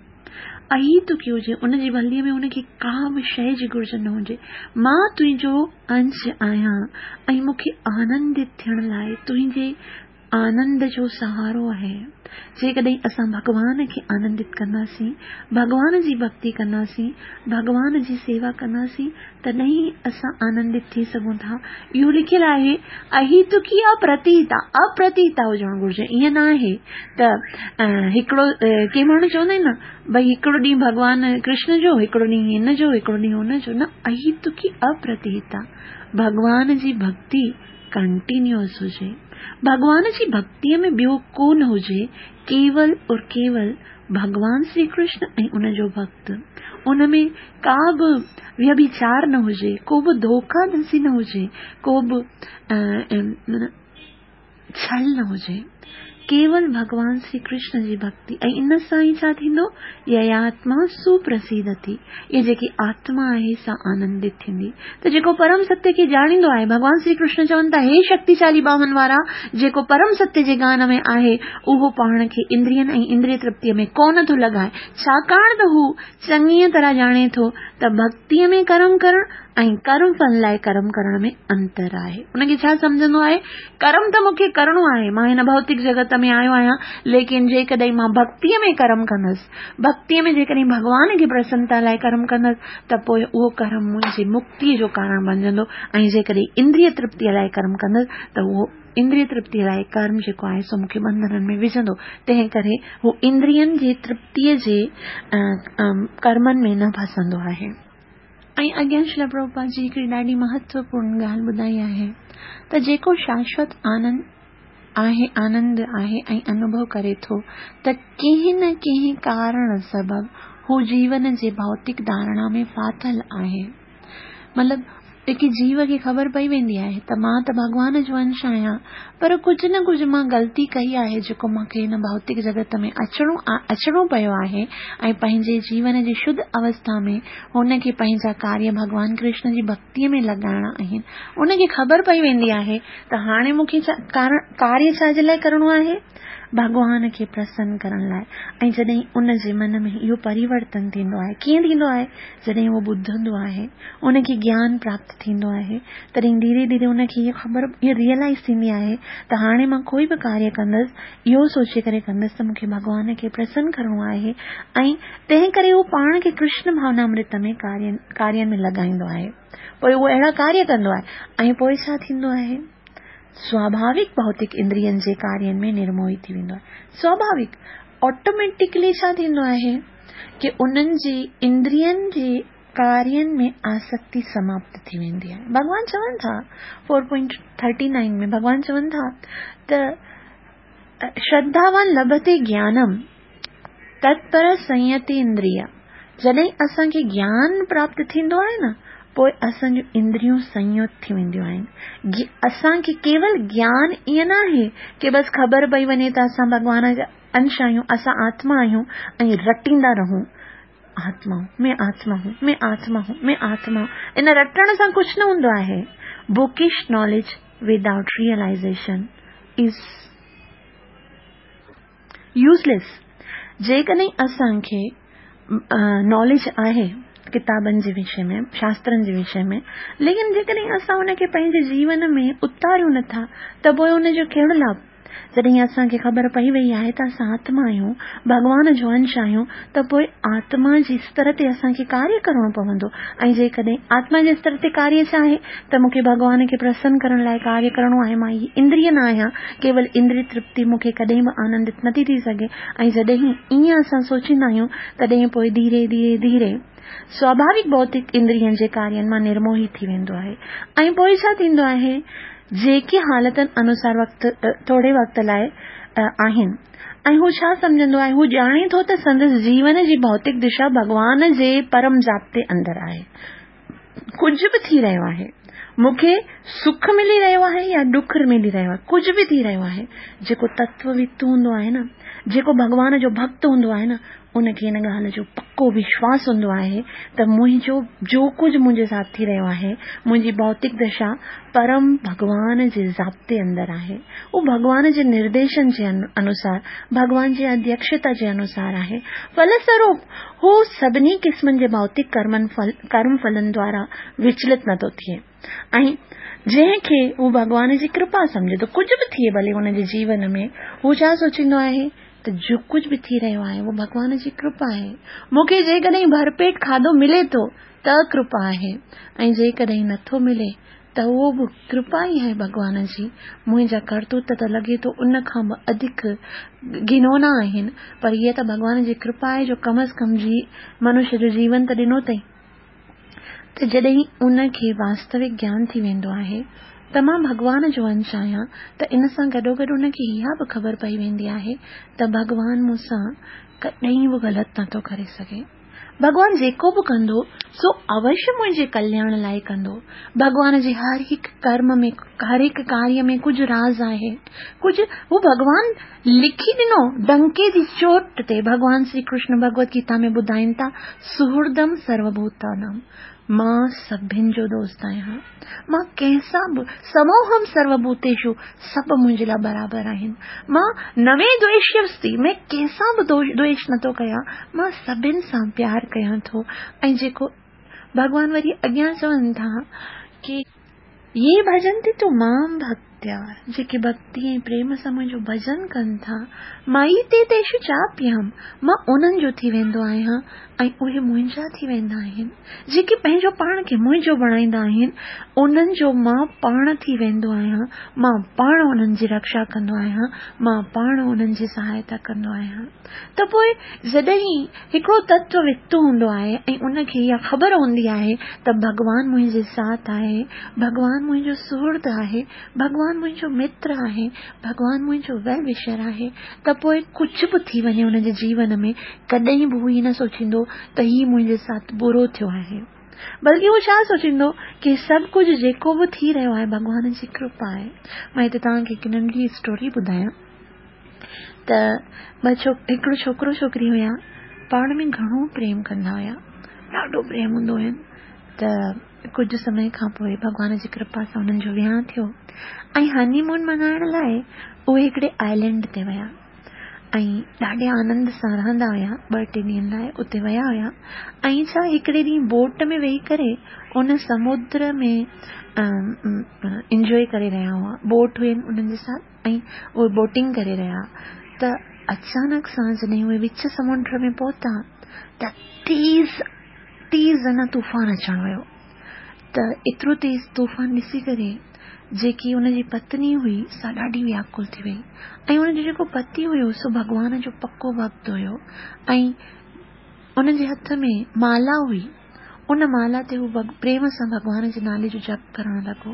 अहितुकी हुजे, उनजी भलीअ में उनखे का बि शइ जी घुर्ज न हुजे। मां तुंहिंजो अंश आहियां ऐं मूंखे आनंदित थियण लाइ तुंहिंजे آنند جو سهارو آهي. جيڪڏهن اسان ڀڳوان کي آنندت ڪنداسين، ڀڳوان جي ڀڳتي ڪنداسين، ڀڳوان جي سيوا ڪنداسين، تڏهن ئي اسان آنندت ٿي سگهون ٿا. اهو لکيل آهي، اهيتڪي اپرتيتا، اپرتيتا هجڻ گهرجي. ائين نه آهي ته هڪڙو، ڪي ماڻهو چوندا آهن نه ڀئي هڪڙو ڏينهن ڀڳوان ڪرشن جو، هڪڙو ڏينهن هن جو، هڪڙو ڏينهن هن جو، نه، اهيتڪي اپرتيتا، ڀڳوان جي ڀڳتي ڪنٽينيوس هجي. ڀڳوان جي ڀڳتيء ۾ ٻيو ڪو نه هجي، ڪيول اور ڪيول ڀڳوان شري ڪرشن ۽ ان جو ڀڳت. ان ۾ ڪا به ويڀچار نه هجي، ڪو به ڌوکا ڌسي نه هجي، ڪو به ڇل نه هجي. ڪيول ڀڳوان شري ڪرشن جي ڀڳتي ۽ ان سان ئي ڇا ٿيندو؟ يياتما سپرسيدتي، اها جيڪي آتما آهي سا آنندت ٿيندي. ته جيڪو پرم ستيه کي ڄاڻيندو آهي، ڀڳوان شري ڪرشن چون ٿا، هي شڪتيشالي ٻانهن وارا، جيڪو پرم ستيه جي گيان ۾ آهي، اهو پاڻ کي اندرين ۽ اندريه ترپتيء ۾ ڪونه ٿو لڳائي، ڇاڪاڻ ته هو چڱيء طرح ڄاڻي ٿو ته ڀڳتيء ۾ ڪرم ڪرڻ ۽ ڪرم ڦل لاء ڪرم ڪرڻ ۾ انتر آهي. ان کي ڇا سمجهندو آهي؟ ڪرم ته مون کي ڪرڻو آهي، مان هن ڀوتڪ جڳت ۾ آيو آهيان، ليڪن جيڪڏهن مان ڀڳتيء ۾ ڪرم ڪندس، ڀڳتيء ۾ جيڪڏهن ڀڳوان کي پرسنتا لاء ڪرم ڪندس ته پوء اهو ڪرم منهنجي مڪتيء جو ڪارڻ بڻجندو ۽ جيڪڏهن اندريه ترپتيء لاء ڪرم ڪندس ته اهو اندريه ترپتيء لاء ڪرم جيڪو آهي سو مون کي ٻنڌنن ۾ وجهندو. تنهن ڪري هو اندرين جي ترپتيء جي ڪرمن ۾ نه ڦسندو آهي. ۽ اڳيان شريلا پرڀوپاد جي هڪڙي ڏاڍي مهتوپورڻ ڳالهه ٻڌائي آهي ته جيڪو شاشوت آنند آهي، آنند آهي ۽ انوڀو ڪري ٿو ته ڪنهن نه ڪنهن ڪارڻ سبب هو جيون جي ڀوتڪ ڌارڻا ۾ ڦاٿل آهي. مطلب هڪ جيو کي خبر پئي ويندي آهي ته مان ته ڀڳوان جو انش آهيان، پر ڪجهه نه ڪجهه مان غلطي ڪئي آهي جيڪو مان کي هن ڀوتڪ جڳت ۾ اچڻو اچڻو پيو آهي ۽ پنهنجي جيون جي شڌ اوسٿا ۾ هن کي پنهنجا ڪاريه ڀڳوان ڪرشن جي ڀڳتيء ۾ لڳائڻا آهن. ان کي خبر پئي ويندي آهي ته هاڻي مون کي ڪاريه ڇا جي لاء ڪرڻو آهي؟ ڀڳوان کي پرسن ڪرڻ لاء. ۽ جڏهن ان جي من ۾ اهو پريورتن ٿيندو آهي، ڪيئن ٿيندو آهي؟ جڏهن اهو ٻڌندو آهي، ان کي گيان پراپت ٿيندو آهي، تڏهن ڌيري ڌيري ان کي اها خبر، اها ريئلائز ٿيندي آهي ته هاڻي مان ڪوئي به ڪاريه ڪندس، اهو سوچي ڪري ڪندس ته مون کي ڀڳوان کي پرسن ڪرڻو آهي ۽ تنهن ڪري هو پاڻ کي ڪرشن ڀاونامرت ۾ ڪارين ۾ لڳائيندو آهي. پوء اهو اهڙا ڪاريه ڪندو آهي ۽ پوء ڇا ٿيندو آهي؟ سواڀاوڪ ڀوتڪ اندرين جي ڪارين ۾ نرموهي ٿي ويندو آهي. سواڀاوڪ آٽوميٽڪلي ڇا ٿيندو آهي ڪي انهن جي اندرين جي ڪارين ۾ آسڪتي سماپت ٿي ويندي آهي. ڀڳوان چون ٿا فور پوائنٽ ٿرٽي نائن ۾ ڀڳوان چون ٿا ته شرڌاوان لڀتي گيانم تتپر سنيتي اندريا، جڏهن اسان کي گيان پراپت ٿيندو آهي نه پوء اسان جون اندريون سنيت ٿي وينديون آهن. اسان کي ڪيول گيان ائين نه آهي ڪي بس خبر پئي وڃي ته اسان ڀڳوان جا انش آهيون، اسان آتما آهيون ۽ رٽيندا رهون آتما هون، مين آتما هون، مين آتما هون، مين آتما هون. ان رٽڻ سان ڪجهه نه هوندو آهي. Bookish knowledge without realization is useless. جيڪڏهن اسان کي ناليج آهي ڪتابن جي وشي ۾، شاسترن جي وشي ۾، ليڪن جيڪڏهن اسان ان کي پنهنجي جيون ۾ اتاريون نٿا ته پوء ان جو ڪهڙو لاڀ؟ جڏهن اسان کي خبر پئي وئي آهي ته اسان آتما آهيون، ڀڳوان جو انش آهيون، ته پوء آتما جي استر تي اسان کي ڪاريه ڪرڻو پوندو. ۽ جيڪڏهن آتما جي استر تي ڪاريه ڇا آهي ته مون کي ڀڳوان کي پرسن ڪرڻ لاء ڪاريه ڪرڻو آهي، مان هي اندريه نه آهيان، ڪيول اندريه ترپتي مون کي ڪڏهن به آنندت نٿي ٿي سگهي. ۽ جڏهن ائين اسان سوچيندا آهيون تڏهن پوء ڌيري ڌيري ڌيري سواڀاوڪ ڀوتڪ اندرين جي ڪارين مان نرموهي ٿي ويندو آهي. ۽ پوء ڇا ٿيندو آهي؟ جيڪي حالتن انوسار وقت ٿوري وقت لاء آهن. ۽ هو ڇا سمجهندو آهي؟ هو ڄاڻي ٿو ته سندس جيون جي ڀوتڪ دشا ڀڳوان جي پرم ضابطي اندر آهي. ڪجهه به ٿي رهيو آهي، مون کي سک ملي رهيو آهي يا ڏک ملي رهيو آهي، ڪجهه به ٿي رهيو آهي، جيڪو تتووت هوندو آهي نه، جيڪو ڀڳوان جو ڀڳت هوندو آهي نه، ان کي ان ڳالهه جو پڪو وشواس هوندو آهي ته منهنجو جو ڪجهه منهنجي ساٿ ٿي رهيو آهي، منهنجي ڀوتڪ دشا پرم ڀڳوان جي ضابطي اندر آهي. اهو ڀڳوان جي نرديشن جي انوسار، ڀڳوان جي اڌيڪشتا جي انوسار آهي. ڦلسوروپ هو سڀني قسمن جي ڀوتڪ ڪرمن ڪرم ڦلن دوارا وچلت نٿو ٿئي. ऐं जंहिंखे हू भॻवान जी कृपा सम्झे थो, कुझु बि थिए भले हुनजे जीवन में, हू छा सोचींदो आहे त जो कुझु बि थी रहियो आहे उहो भॻवान जी कृपा आहे। मूंखे जेकॾहिं भरपेट खाधो मिले थो त कृपा आहे, ऐं जेकॾहिं नथो मिले त उहो बि कृपा ई आहे भॻवान जी। मुंहिंजा करतूत त लॻे थो उन खां बि अधिक घिनौना आहिनि, पर इहा त भॻवान जी कृपा आहे जो कम अज़ कम जी मनुष्य जो जीवन त ॾिनो अथई। त जॾहिं उनखे वास्तविक ज्ञान थी वेंदो आहे त मां भॻवान जो अंश आहियां, त इन सां गॾोगॾु उनखे इहा बि ख़बर पई वेंदी आहे त भॻवान मूंसां कॾहिं बि ग़लति नथो करे सघे। भॻवान जेको बि कंदो सो अवश्य मुंहिंजे कल्याण लाइ कंदो। भॻवान जे हर हिकु कर्म में, हर हिकु कार्य में कुझु राज़ आहे, कुझु हू भॻवान लिखी ॾिनो डंके जी चोट ते। भॻवान श्री कृष्ण भगवत गीता में ॿुधाइनि था, सुहृदम सर्वभूतानाम, मां सभिनि जो दोस्त आहियां, मां कंहिंसां बि समोहम सर्वभूतेषु, सभु मुंहिंजे लाइ बराबरि आहिनि। मां नवे द्वेष्यस्ति, मैं कंहिंसां बि द्वेष नथो कयां, मां सभिनि सां प्यार कयां थो। ऐं जेको भॻवान वरी अॻियां चवनि था की ये भजन्ति तु मां भक्त्या, जेके भक्ति ऐं प्रेम सां मुंहिंजो भजन कनि था, माई ते तेषु चाप्यहम, मां उन्हनि जो थी वेंदो आहियां ऐं उहे मुंहिंजा थी वेंदा आहिनि। जेके पंहिंजो पाण खे मुंहिंजो बणाईंदा आहिनि उन्हनि जो मां पाण थी वेंदो आहियां, मां पाण उन्हनि जी रक्षा कंदो आहियां, मां पाण उन्हनि जी सहायता कंदो आहियां। त पोइ जॾहिं हिकिड़ो तत्व वित्त हूंदो आहे ऐं उनखे इहा ख़बर हूंदी आहे त भॻवान मुंहिंजे साथ आहे, भॻवान मुंहिंजो सुहृद आहे, भॻवान मुंहिंजो मित्र आहे, भॻवान मुंहिंजो वेल विशर आहे, त पोइ कुझु बि थी वञे हुनजे जीवन में, कॾहिं बि हू ईअं न सोचींदो त हीउ मुंहिंजे साथ बुरो थियो आहे, बल्कि हू छा सोचींदो की सभु कुझु जेको बि थी रहियो आहे भॻवान जी कृपा आहे। मां हिते तव्हांखे हिकु नंढी स्टोरी ॿुधायां त ॿ छो हिकिड़ो छोकिरो छोकिरी हुया, पाण में घणो प्रेम कंदा हुया, ॾाढो प्रेम हूंदो हुयनि। त कुझु समय खां पोइ भॻवान जी कृपा सां हुननि जो विहांउ थियो ऐं हनीमून मल्हाइण लाइ उहे हिकिड़े आइलैंड ते विया ऐं ॾाढे आनंद सां रहंदा हुया। ॿ टे ॾींहंनि लाइ उते विया हुया ऐं छा हिकिड़े ॾींहुं बोट में वेही करे उन समुद्र में इंजॉय करे रहिया हुआ। बोट हुयनि उन्हनि जे साथ ऐं उहे बोटिंग करे रहिया। त अचानक सां जॾहिं उहे विच समुंड में पहुता त तेज़ तेज़ अञा तूफ़ान अचण वियो। त एतिरो तेज़ तूफ़ान ॾिसी करे जेकी हुनजी पत्नी हुई सा ॾाढी व्याकुल थी वई ऐं हुनजो जेको पति हुयो सो भॻवान जो पको भक्त हुयो ऐं उनजे हथ में माला हुई। उन माला ते हू प्रेम सां भॻवान जे नाले जो जप करण लॻो,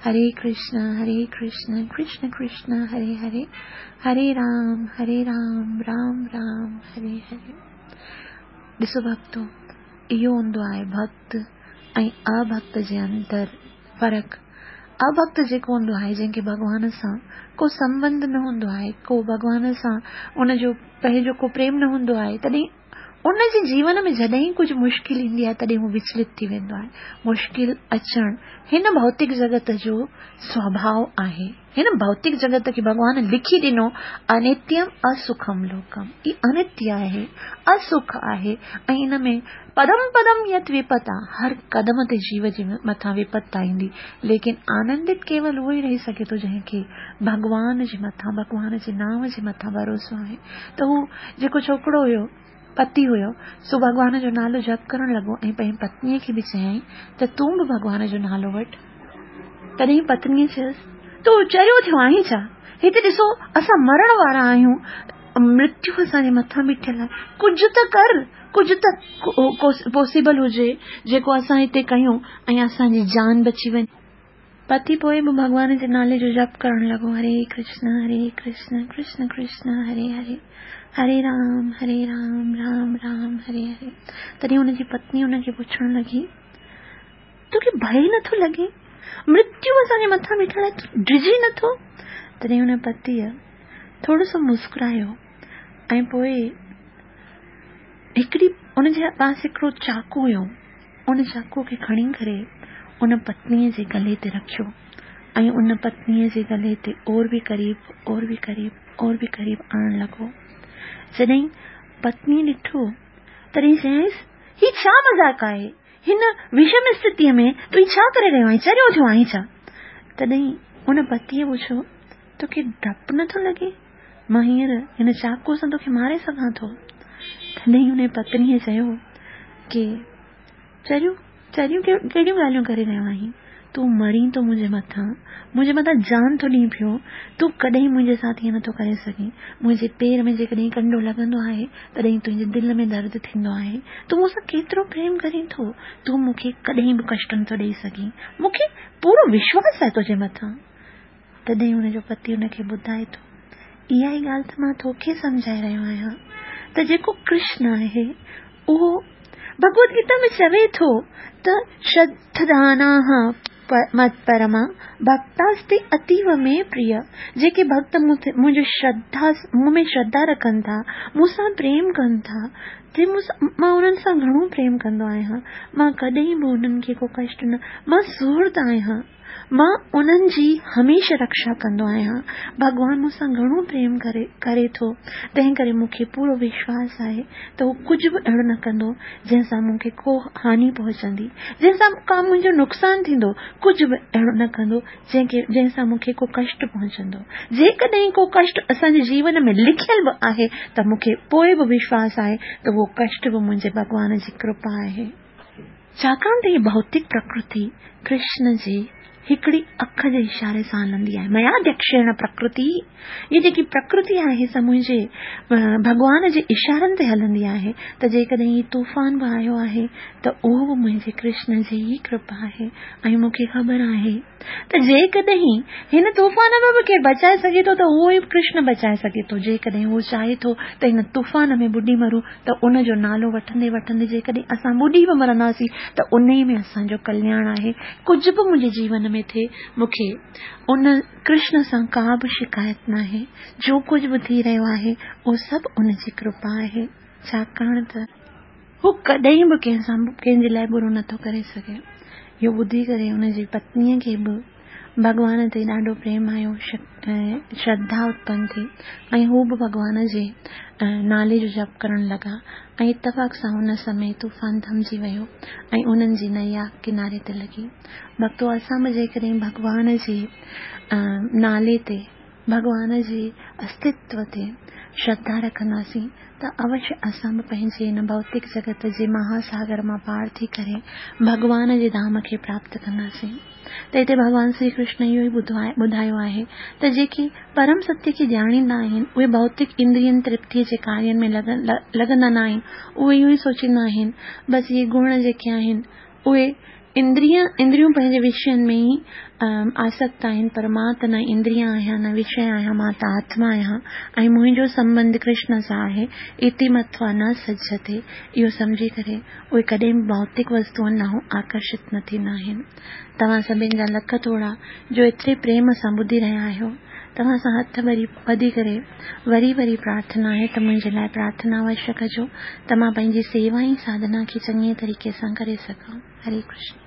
हरे कृष्ण हरे कृष्ण कृष्ण कृष्ण हरे हरे, हरे राम हरे राम राम राम हरे हरे। ॾिसो भक्तो, इहो हूंदो आहे भक्त ऐं अभक्त जे अंदरि फ़र्क़ु। अभक्त जेको हूंदो आहे जंहिंखे भॻवान सां को संबंध न हूंदो आहे, को भॻवान सां उनजो पंहिंजो को प्रेम न हूंदो आहे, तॾहिं उनजे जीवन में जॾहिं कुझु मुश्किल ईंदी आहे तॾहिं हू विचलित थी वेंदो आहे। मुश्किल अचणु हिन भौतिक जगत जो स्वभाव आहे। हिन भौतिक जगत खे भॻवान लिखी ॾिनो अनित्यम असुखम लोकम, ई अनित्य आहे, असुख आहे ऐं इन में पदम पदम यत विपता, हर कदम ते जीव जे मथां विपत्ता ईंदी, लेकिन आनंदित केवल उहो ई रही सघे थो जंहिंखे भॻवान जे मथां, भॻवान जे नाम जे मथां भरोसो आहे। त हू जेको छोकिरो हुयो, पति हुयो, सो भॻवान जो नालो जप करण लॻो ऐं पंहिंजी पत्नीअ खे बि चयाईं त तूं बि भॻवान जो नालो वठि। तॾहिं पत्नीअ चयसि, तूं चरियो थियो आहीं छा? हिते ॾिसो असां मरण वारा आहियूं, मृत्यु असांजे मथां बीठल आहे, कुझु त कर, कुझु त पॉसिबल हुजे जेको असां हिते कयूं ऐं असांजी जान बची वञे। पति पोइ बि भॻवान जे नाले जो जप करण लॻो, हरे कृष्ण हरे कृष्ण कृष्ण कृष्ण हरे हरे, हरे राम हरे राम राम राम हरे हरे। तॾहिं हुनजी पत्नी हुनखे पुछण लॻी, तोखे भय नथो लॻे? मृत्यु असांजे मथां बीठल आहे, तूं डिॼी नथो? तॾहिं हुन पतीअ थोरो सो मुस्कुरायो ऐं पोइ हिकिड़ी हुनजे पास हिकिड़ो चाकू हुयो, उन चाकू खे खणी करे उन पत्नीअ जे गले ते रखियो ऐं उन पत्नीअ जे गले ते और बि क़रीब और बि क़रीब और बि क़रीब आणण लॻो। जॾहिं पत्नी ॾिठो तॾहिं चयईंसि, ही छा मज़ाक आहे? هن وشم اسٿتيء ۾ تون ڇا ڪري رهيو آهين؟ چريو ٿيو آهين ڇا؟ تڏهن ان پتيء پڇيو، توکي ڊپ نٿو لڳي؟ مان هينئر هن چاقوء سان توکي ماري سگهان ٿو. تڏهن ان پتنيء چيو ڪي چريو، چريون ڪهڙيون ڳالهيون ڪري رهيو آهين؟ تون مرين ٿو منهنجي مٿان، منهنجي مٿان جان ٿو ڏين پيو، تون ڪڏهن منهنجي ساٿ ائين نٿو ڪري سگهين. منهنجي پير ۾ جيڪڏهن ڪنڊو لڳندو آهي، تڏهن تنهنجي دل ۾ درد ٿيندو آهي. تون مون سان ڪيترو پريم ڪرين ٿو، تون مون کي ڪڏهن به ڪشٽ نٿو ڏيئي سگهين. مون کي پورو وشواس آهي تنهنجي مٿان. تڏهن هن جو پتي هن کي ٻڌائي ٿو، اها ئي ڳالهه ته مان توکي سمجهائي رهيو آهيان ته جيڪو ڪرشن آهي، اهو ڀڳوت گيتا ۾ چوي ٿو ته شرڌداناه متپرما ڀڪتاستي اتيو ۾ پريه، جيڪي ڀڳت منهنجو شرڌا مون ۾ شرڌا رکن ٿا، مون سان پريم ڪن ٿا، تي مون سان مان انهن سان گهڻو پريم ڪندو آهيان، مان ڪڏهن به انهن کي ڪو ڪشٽ نه، مان سهرد آهيان، مان انهن جي هميشه رڪشا ڪندو آهيان. ڀڳوان مون سان گهڻو پريم ڪري ڪري ٿو، تنهن ڪري مون کي پورو وشواس آهي ته هو ڪجهه به اهڙو نه ڪندو جنهن سان مون کي ڪو هاني پهچندي، جنهن سان ڪا منهنجو نقصان ٿيندو، ڪجهه به اهڙو نه ڪندو جنهن کي جنهن سان مون کي ڪو ڪشٽ پهچندو. جيڪڏهن ڪو ڪشٽ اسان جي جيون ۾ لکيل به آهي ته مون کي پوء به وشواس آهي ته اهو ڪشٽ به منهنجي ڀڳوان جي ڪرپا آهي. ڇاڪاڻ ته هيء ڀوتڪ پرڪرتي ڪرشن جي هڪڙي اک جي اشاري سان هلندي آهي. مياڌيڪشيڻ پرڪرتي، هيء جيڪي پرڪرتي آهي سا منهنجي ڀڳوان جي اشارن تي هلندي آهي ته جيڪڏهن هي طوفان به آيو آهي ته اهو به منهنجي ڪرشن جي ئي ڪرپا آهي ۽ مون کي خبر آهي ته جيڪڏهن هن طوفان ۾ به ڪير بچائي سگهي ٿو ته اهو ئي ڪرشن بچائي سگهي ٿو. جيڪڏهن هو چاهي ٿو ته هن طوفان ۾ ٻڏي مرون ته ان جو نالو وٺندي وٺندي جيڪڏهن اسان ٻڏي به مرنداسين ته انهي ۾ اسان جو ڪلياڻ آهي. ڪجهه به منهنجي جيون ۾ ٿئي مون کي ان ڪرشن سان ڪا به شڪايت ناهي. جو ڪجهه به ٿي رهيو آهي اهو سڀ ان جي ڪرپا آهي. ڇاڪاڻ ته هو ڪڏهن به ڪنهن سان ڪنهن جي لاء برو نٿو ڪري سگهي. اهو ٻڌي ڪري ان جي پتنيء کي به ڀڳوان تي ڏاڍو پريم آيو، شرڌا اتپن ٿي ۽ هو به ڀڳوان جي نالي جو جپ ڪرڻ لڳا ۽ اتفاق سان ان سمي طوفان ٿمجي ويو ۽ انهن جي نيا ڪناري تي لڳي. ڀڳتو اسان به جيڪڏهن ڀڳوان جي نالي تي، ڀڳوان جي استتو تي شرڌا رکنداسين ته اوشيه اسان به پنهنجي هن ڀوتڪ جڳت جي مها ساگر مان پار ٿي ڪري ڀڳوان جي ڌام کي پراپت ڪنداسين. ته هتي ڀڳوان شري ڪرشن اهو ئي ٻڌايو آهي ته جيڪي پرم ستيه کي ڄاڻيندا آهن اهي ڀوتڪ اندرين ترپتيء جي ڪارين ۾ لڳندا نه آهن، اهي اهو ئي سوچيندا آهن بس اهي گڻ جيڪي آهن اهي اندريا اندريون پنهنجي وشين ۾ ئي آسڪت آهن پر مان ته نه اندريا آهيان نه وشي آهيان مان ته آتما آهيان ۽ منهنجو سنٻنڌ ڪرشن سان آهي اتي متوا نه سجهتي اهو سمجهي ڪري اهي ڪڏهن به ڀوتڪ وستوئن ڏانهن آڪرشت نه ٿيندا آهن. توهان سڀن جا لک ٿورا جو ايتري پريم سان ٻڌي رهيا آهيو. توهان سان هٿ ٻڌي ڪري وري وري پرارٿنا آهي ته منهنجي لاء پرارٿنا اوشيه ڪجو ته مان پنهنجي سيوا ۽ ساڌنا کي چڱي طريقي سان ڪري سگهان. هري ڪرشن.